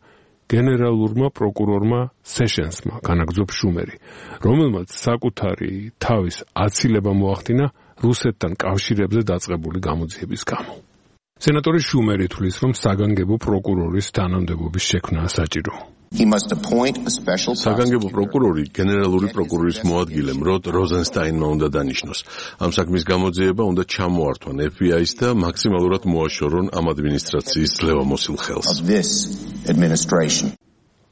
გენერალურმა პროკურორმა სეშენსმა, განაგრძობს შუმერი, რომელმაც საკუთარი თავის აცილება მოახდინა რუსეთთან კავშირებზე დაწყებული გამოძიების გამო. სენატორი შუმერი თვლის, რომ საგანგებო პროკურორის თანამდებობის შექმნაა საჭირო. საგანგებო პროკურორი გენერალური პროკურორის მოადგილემ როდ როზენსტაინმა უნდა დანიშნოს. ამ საქმის გამოძიება უნდა ჩამოართვან FBI-ს და მაქსიმალურად მოაშორონ ამ ადმინისტრაციის ძლევამოსილ ხელს.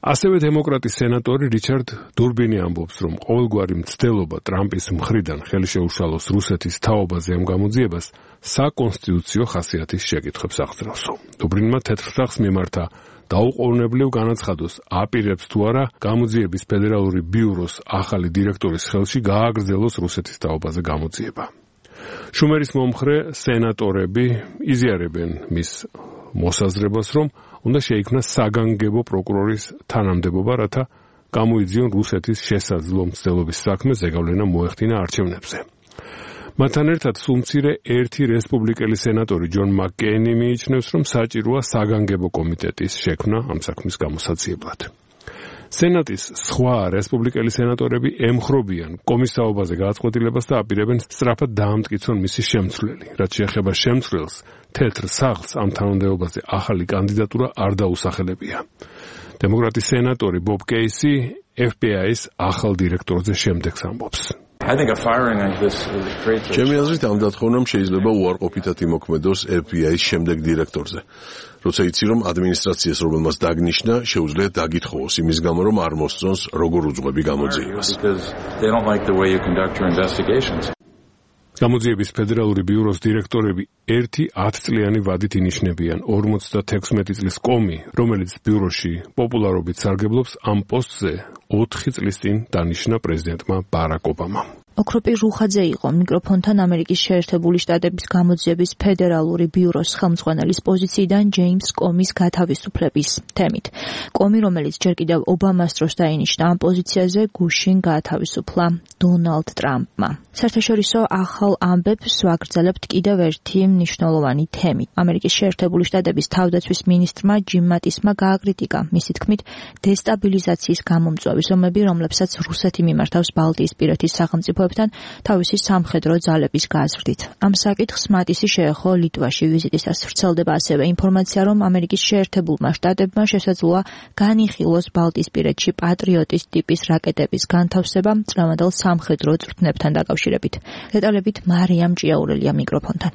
ასევე დემოკრატი სენატორი რიჩარდ დურბინი ამბობს, რომ ყოველგვარი მცდელობა ტრამპის მხრიდან ხელი შეუშალოს რუსეთის თაობაზე ამ გამოძიებას საკონსტიტუციო ხასიათის შეკითხვებს აღძრევსო. დურბინმა თეთრ მიმართა დაუყოვნებლივ განაცხადოს, აპირებს თუ არა გამოძიების ფედერალური ბიუროს ახალი დირექტორის ხელში გააგრძელოს რუსეთის თაობაზე გამოძიება. შუმერის მომხრე სენატორები იზიარებენ მის მოსაზრებას, რომ უნდა შეიქმნას საგანგებო პროკურორის თანამდებობა, რათა გამოიძიონ რუსეთის შესაძლო მცდელობის საქმე ზეგავლენა მოეხდინა არჩევნებზე. მათთან ერთად სულმცირე ერთი რესპუბლიკელი სენატორი ჯონ მაკკეინი მიიჩნევს, რომ საჭიროა საგანგებო კომიტეტის შექმნა ამ საქმის გამოსაცილებლად. სენატის სხვა რესპუბლიკელი სენატორები ემხრობიან კომის თაობაზე გადაწყვეტილებას და აპირებენ სწრაფად დაამტკიცონ მისი შემცვლელი. რაც შეეხება შემცვლელს, თეთრ სახლს ამ თანამდებობაზე ახალი კანდიდატურა არ დაუსახელებია. დემოკრატი სენატორი ბობ კეისი FBI-ის ახალ დირექტორზე შემდეგს ამბობს. ჩემი აზრით ამ დათხოვნამ შეიძლება უარყოფითად იმოქმედოს FBI-ის შემდეგ დირექტორზე. როცა იცი, რომ ადმინისტრაციას, რომელმაც დაგნიშნა, შეუძლია დაგითხოვოს იმის გამო, რომ არ მოსწონს როგორ უძღვები გამოძიებას. გამოძიების ფედერალური ბიუროს დირექტორები ერთი 10 წლიანი ვადით ინიშნებიან. 56 წლის კომი, რომელიც ბიუროში პოპულარობით სარგებლობს, ამ პოსტზე 4 წლის წინ დანიშნა პრეზიდენტმა ბარაკ ობამამ. ოქროპი რუხაძე იყო მიკროფონთან ამერიკის შეერთებული შტატების გამოძიების ფედერალური ბიუროს ხელმძღვანელის პოზიციიდან ჯეიმს კომის გათავისუფლების თემით. კომი, რომელიც ჯერ კიდევ ობამას დროს დაინიშნა ამ პოზიციაზე, გუშინ გაათავისუფლა დონალდ ტრამპმა. საერთაშორისო ახალ ამბებს ვაგრძელებთ კიდევ ერთი მნიშვნელოვანი თემით. ამერიკის შეერთებული შტატების თავდაცვის მინისტრმა ჯიმ მატისმა გააკრიტიკა მისი თქმით დესტაბილიზაციის გამომწვევი ზომები, რომლებსაც რუსეთი მიმართავს ბალტიისპირეთის სახელმწიფოებთან თავისი სამხედრო ძალების გაზრდით. ამ საკითხს მატისი შეეხო ლიტვაში ვიზიტის დროს ვრცელდება ასევე ინფორმაცია, რომ ამერიკის შეერთებულმა შტატებმა შესაძლოა განიხილოს ბალტიისპირეთში პატრიოტის ტიპის რაკეტების განთავსება წლევანდელ სამხედრო წვრთნებთან დაკავშირებით. დეტალებით მარიამ ჭიაურელია მიკროფონთან.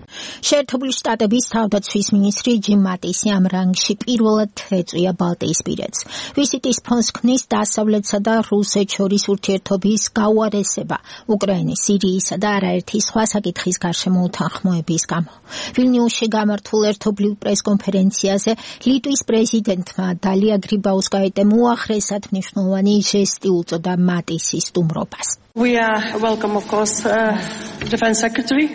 შეერთებული შტატების თავდაცვის მინისტრი ჯიმ მატისი ამ რანგში პირველად ეწვია ბალტიისპირეთს. ვიზიტის ფონს ქმნის დასავლეთსა და რუსეთს შორის ურთიერთობის გაუარესება უკრაინის, სირიისა და არაერთი სხვა საკითხის გარშემო უთანხმოების გამო. ვილნიუსში გამართულ ერთობლივ პრესკონფერენციაზე ლიტვის პრეზიდენტმა დალია გრიბაუსკაიტემ უახლესად მნიშვნელოვანი ჟესტი უწოდა მატისის სტუმრობას. We welcome of course Defense Secretary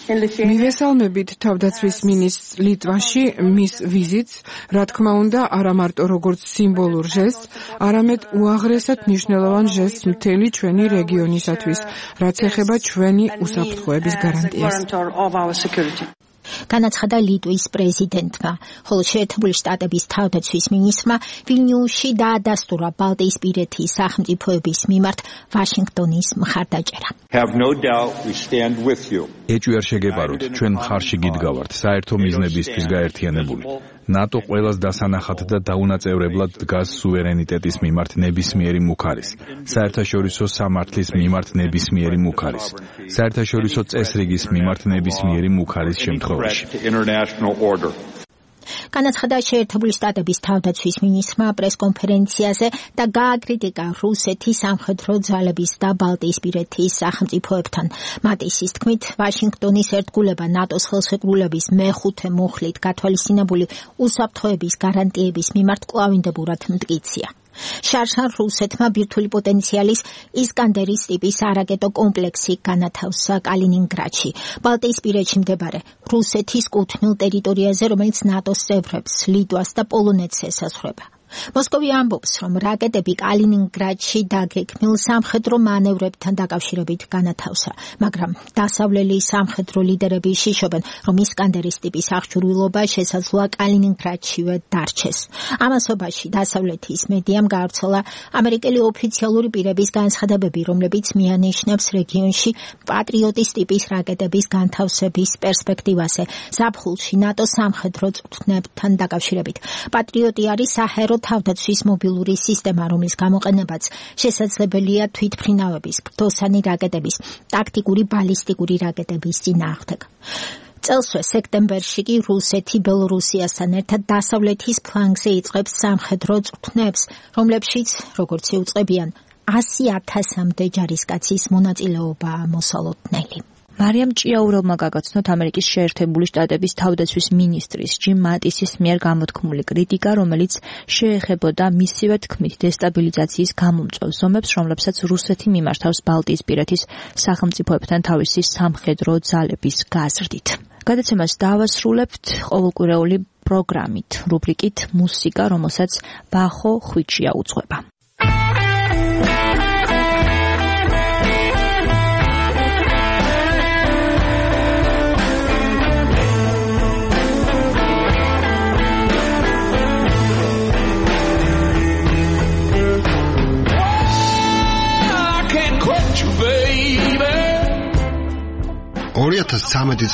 მივესალმებით თავდაცვის მინისტრს ლიტვაში მის ვიზიტს, რა თქმა უნდა, არა მარტო როგორც სიმბოლურ ჟესტს, არამედ უაღრესად მნიშვნელოვან ჟესტს მთელი ჩვენი რეგიონისათვის, რაც ეხება ჩვენი უსაფრთხოების გარანტიას. განაცხადა ლიტვის პრეზიდენტმა, ხოლო შეერთებული შტატების თავდაცვის მინისტრმა ვილნიუსში დაადასტურა ბალტიისპირეთის სახელმწიფოების მიმართ ვაშინგტონის მხარდაჭერა. ეჭვი არ შეგეპაროთ, ჩვენ მხარში გიდგავართ, საერთო მიზნებისთვის გაერთიანებული. ნატო ყველას დასანახად და დაუნაწევრებლად დგას სუვერენიტეტის მიმართ ნებისმიერი მუქარის, საერთაშორისო სამართლის მიმართ ნებისმიერი მუქარის, საერთაშორისო წესრიგის მიმართ ნებისმიერი მუქარის შემთხვევაში. განაცხადა შეერთებული შტატების თავდაცვის მინისტრმა პრესკონფერენციაზე და გააკრიტიკა რუსეთის სამხედრო ძალების და ბალტიისპირეთის სახელმწიფოებთან. მატისის თქმით, ვაშინგტონის ერთგულება ნატოს ხელშეკრულების მეხუთე მუხლით გათვალისწინებული უსაფრთხოების გარანტიების მიმართ კვლავინდებურად მტკიცია. შარშან რუსეთმა ბირთვული პოტენციალის ისკანდერის ტიპის არაკეტო კომპლექსი განათავსა კალინინგრადში, ბალტიისპირეთში მდებარე რუსეთის კუთვნილ ტერიტორიაზე, რომელიც ნატოს წევრებს, ლიტვას და პოლონეთს ესაზღვრება. მოსკოვი ამბობს, რომ რაკეტები კალინინგრადში დაგეგმილ სამხედრო მანევრებთან დაკავშირებით განათავსა, მაგრამ დასავლელი სამხედრო ლიდერები იშიშობენ, რომ ისკანდერის ტიპის აღჭურვილობა შესაძლოა კალინინგრადშივე დარჩეს. ამასობაში დასავლეთის მედიამ გაავრცელა ამერიკელი ოფიციალური პირების განცხადებები, რომლებიც მიანიშნებს რეგიონში პატრიოტის ტიპის რაკეტების განთავსების პერსპექტივაზე ზაფხულში ნატოს სამხედრო წვრთნებთან დაკავშირებით. პატრიოტი არის საჰაერო თავდაცვის მობილური სისტემა, რომლის გამოყენებაც შესაძლებელია თვითმფრინავების, ბრძოლსანი რაკეტების, ტაქტიკური ბალისტიკური რაკეტების წინააღმდეგ. წელსვე სექტემბერში კი რუსეთი ბელორუსიასთან ერთად დასავლეთის ფლანგზე იწყებს სამხედრო წვრთნებს, რომლებშიც, როგორც იუწყებიან, 100,000-მდე ჯარისკაცის მონაწილეობაა მოსალოდნელი. მარიამ ჭიაურელმა გაგაცნოთ ამერიკის შეერთებული შტატების თავდაცვის მინისტრის ჯიმ მატისის მიერ გამოთქმული კრიტიკა, რომელიც შეეხებოდა მისივე თქმით დესტაბილიზაციის გამომწვევ ზომებს, რომლებსაც რუსეთი მიმართავს ბალტიისპირეთის სახელმწიფოებთან თავისი სამხედრო ძალების გაზრდით. გადაცემას დავასრულებთ ყოველკვირეული პროგრამით, რუბრიკით მუსიკა, რომელსაც ბახო ხვიჩია უძღვება.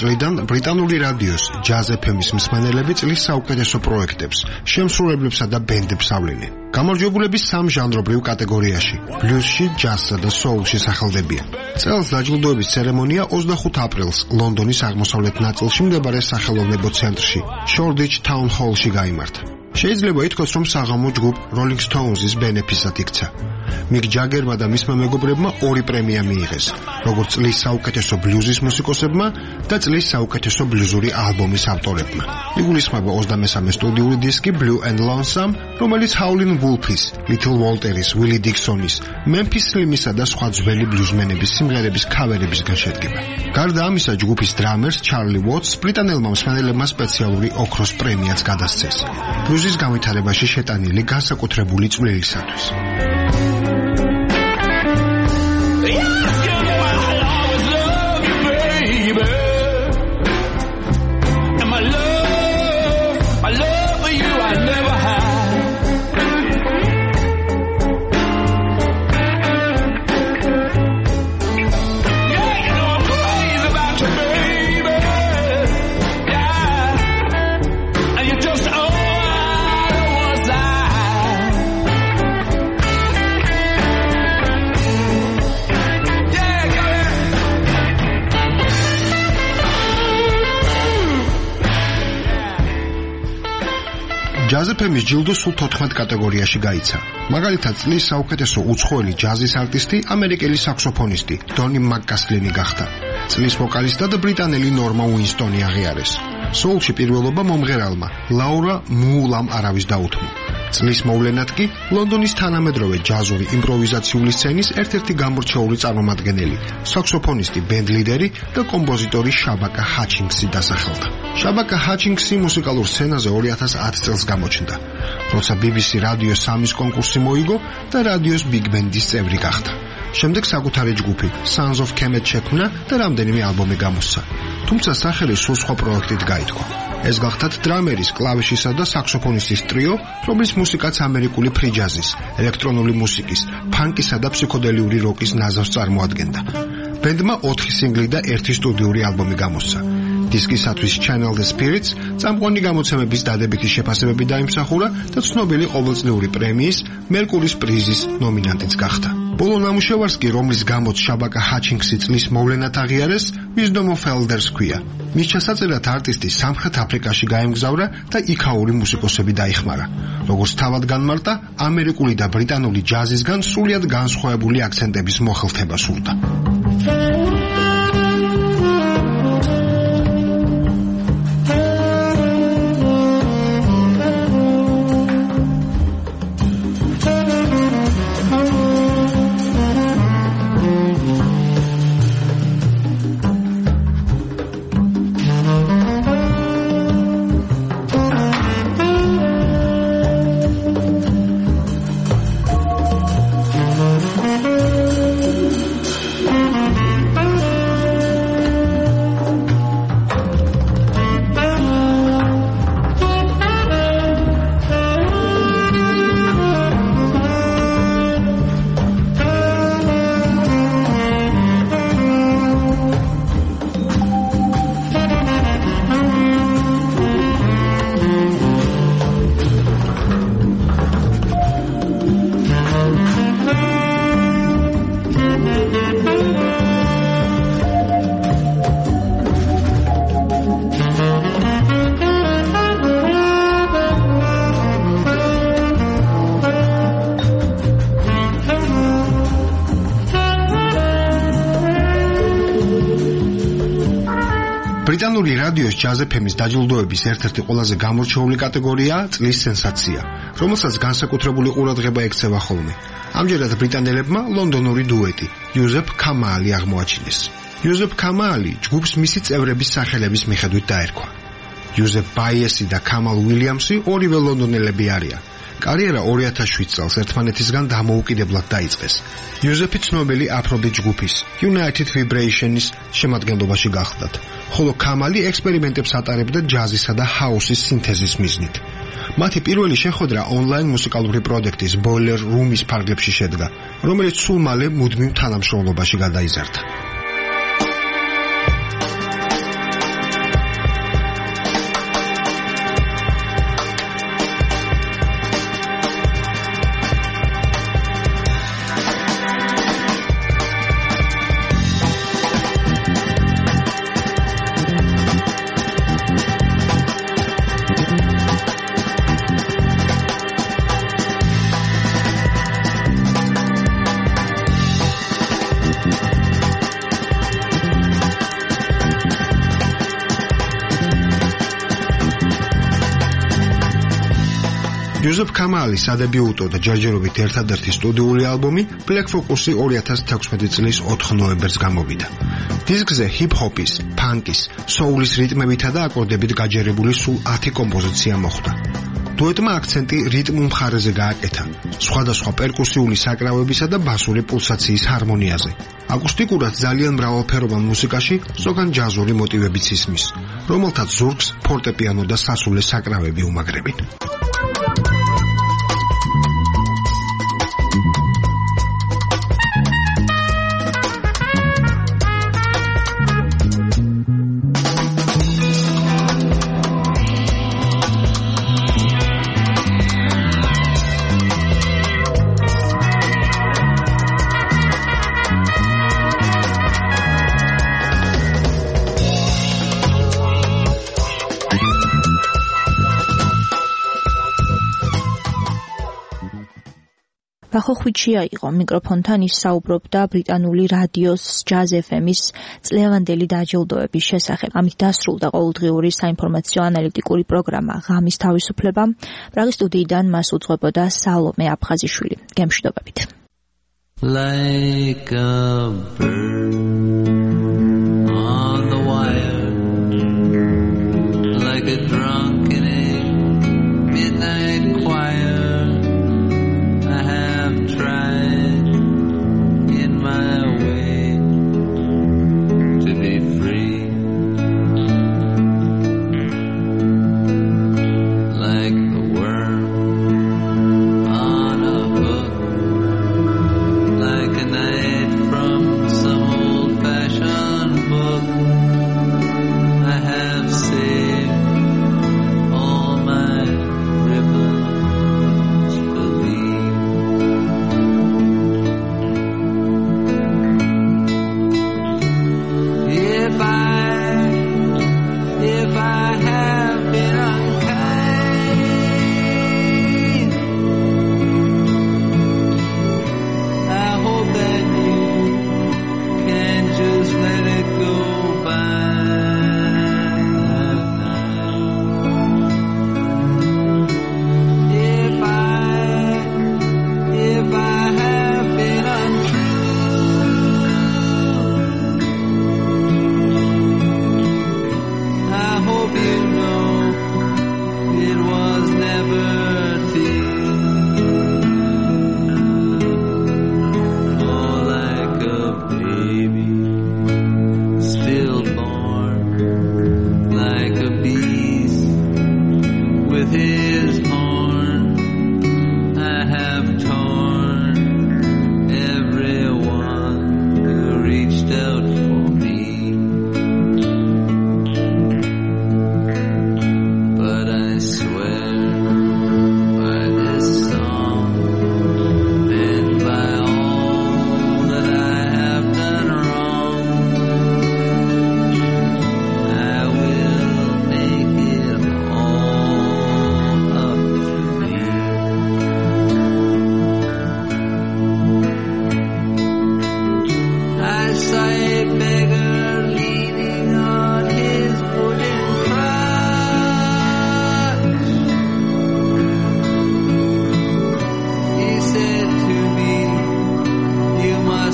წლიდან ბრიტანული რადიოს ჯაზ FM-ის მსმენელები წლის საუკეთესო პროექტებს, შემსრულებლებსა და ბენდებს ავლენენ. გამარჯვებულები სამ ჟანრობრივ კატეგორიაში: ბლუზში, ჯაზსა და soul-ში სახელდებიან. წელს დაჯილდოების ცერემონია 25 აპრილს ლონდონის აღმოსავლეთ ნაწილში მდებარე სახელოვნებო ცენტრში, Shoreditch Town Hall-ში გაიმართა. შეიძლება ითქვას, რომ საღამო ჯგუფ Rolling Stones-ის ბენეფისად იქცა. მიკ ჯაგერმა და მისმა მეგობრებმა 2 პრემია მიიღეს, როგორც წლის საუკეთესო ბლუზის მუსიკოსებმა და წლის საუკეთესო ბლუზური ალბომის ავტორებმა. იგულისხმება 23 სტუდიური დისკი Blue and Lonesome, რომელიც Howlin' Wolf-ის, Little Walter-ის, Willie Dixon-ის, Memphis Slim-ისა და სხვა ძველი ბლუზმენების სიმღერების ქავერებისგან შედგება. გარდა ამისა, ჯგუფის დრამერს Charlie Watts ბრიტანელმა მსმენელებმა სპეციალური ოქროს პრემიაც გადასცეს. ბლუზის განვითარებაში შეტანილი განსაკუთრებული წვლილისათვის. ჯაზ FM-ის ჯილდო სულ 14 კატეგორიაში გაიცა. მაგალითად, წლის საუკეთესო უცხოელი ჯაზის არტისტი ამერიკელი საქსოფონისტი დონი მაკკასლინი გახდა. წლის ვოკალისტად ბრიტანელი ნორმა უინსტონი აღიარეს. soul-ში პირველობა მომღერალმა ლაურა მულამ არავის დაუთმო. წლის მოვლენად კი ლონდონის თანამედროვე ჯაზური იმპროვიზაციული სცენის ერთ-ერთი გამორჩეული წარმომადგენელი, საქსოფონისტი, ბენდლიდერი და კომპოზიტორი შაბაკა ჰაჩინგსი დასახელდა. შაბაკა ჰაჩინგსი მუსიკალურ სცენაზე 2010 წელს გამოჩნდა, როცა BBC რადიო 3-ის კონკურსი მოიგო და რადიოს Big Band-ის წევრი გახდა. შემდეგ საკუთარი ჯგუფი Sons of Kemet შექმნა და რამდენიმე ალბომი გამოსცა. თუმცა სახელი სულ სხვა პროექტით გაითქვა. ეს გახდათ დრამერის, კლავიშისა და საქსოფონისტის ტრიო, რომლის მუსიკაც ამერიკული ფრი ჯაზის, ელექტრონული მუსიკის, ფანკისა და ფსიქოდელიური როკის ნაზავს წარმოადგენდა. ბენდმა 4 სინგლი და 1 სტუდიური ალბომი გამოსცა. დისკისათვის Channel the Spirits წამყვანი გამოცემების დადებითი შეფასებები დაიმსახურა და ცნობილი ყოველწლიური პრემიის მერკურის პრიზის ნომინანტიც გახდა. ბოლო ნამუშევარს კი, რომლის გამოც შაბაკა ჰაჩინგსი წლის მოვლენად აღიარეს, ვიზდომ ოფ ელდერს ქვია. მის ჩასაწერად არტისტი სამხრეთ აფრიკაში გაემგზავრა და იქაური მუსიკოსები დაიხმარა. როგორც თავად განმარტა, ამერიკული და ბრიტანული ჯაზისგან სრულიად განსხვავებული აქცენტების მოხელთება სურდა. ბრიტანული რადიოს ჯაზ FM-ის დაჯილდოების ერთ-ერთი ყველაზე გამორჩეული კატეგორიაა წლის სენსაცია, რომელსაც განსაკუთრებული ყურადღება ექცევა ხოლმე. ამჯერად ბრიტანელებმა ლონდონური დუეტი იუზეფ ქამაალი აღმოაჩინეს. იუზეფ ქამაალი ჯგუფს მისი წევრების სახელების მიხედვით დაერქვა. იუზეფ ბაიესი და ქამალ უილიამსი ორივე ლონდონელები არიან. კარიერა 2007 წელს ერთმანეთისგან დამოუკიდებლად დაიწყეს. იუზეფი ცნობილი აფრობიტ ჯგუფის United Vibration-ის შემადგენლობაში გახლდათ, ხოლო ქამალი ექსპერიმენტებს ატარებდა ჯაზისა და ჰაუსის სინთეზის მიზნით. მათი პირველი შეხვედრა ონლაინ მუსიკალური პროექტის Boiler Room-ის ფარგლებში შედგა, რომელიც სულ მალე მუდმივ თანამშრომლობაში გადაიზარდა. იუზეფ ქამაალის სადებიუტო და ჯერჯერობით ერთადერთი სტუდიური ალბომი Black Focus-ი 2016 წლის 4 ნოემბერს გამოვიდა. დისკზე ჰიპ-ჰოპის, ფანკის, სოულის რიტმებითა და აკორდებით გაჯერებული სულ 10 კომპოზიცია მოხვდა. დუეტმა აქცენტი რიტმულ მხარეზე გააკეთა, სხვადასხვა პერკუსიული საკრავებისა და ბასური პულსაციის ჰარმონიაზე. აკუსტიკურად ძალიან მრავალფეროვან მუსიკაში ზოგან ჯაზური მოტივებიც ისმის, რომელთაც ზურგს ფორტეპიანო და სასულე საკრავები უმაგრებენ. ბახო ხვიჩია იყო მიკროფონთან ის საუბრობდა ბრიტანული რადიოს ჯაზ FM-ის წლევანდელი დაჯილდოების შესახებ. ამით დასრულდა ყოველდღიური საინფორმაციო ანალიტიკური პროგრამა ღამის თავისუფლება. პრაღის სტუდიიდან მას უძღვებოდა სალომე აფხაზიშვილი. გემშვიდობებით. Like a bird on the wire, like a drunk in a midnight choir. Tried in my way to be free, like the worm on a hook, like a night from the sun.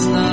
last night.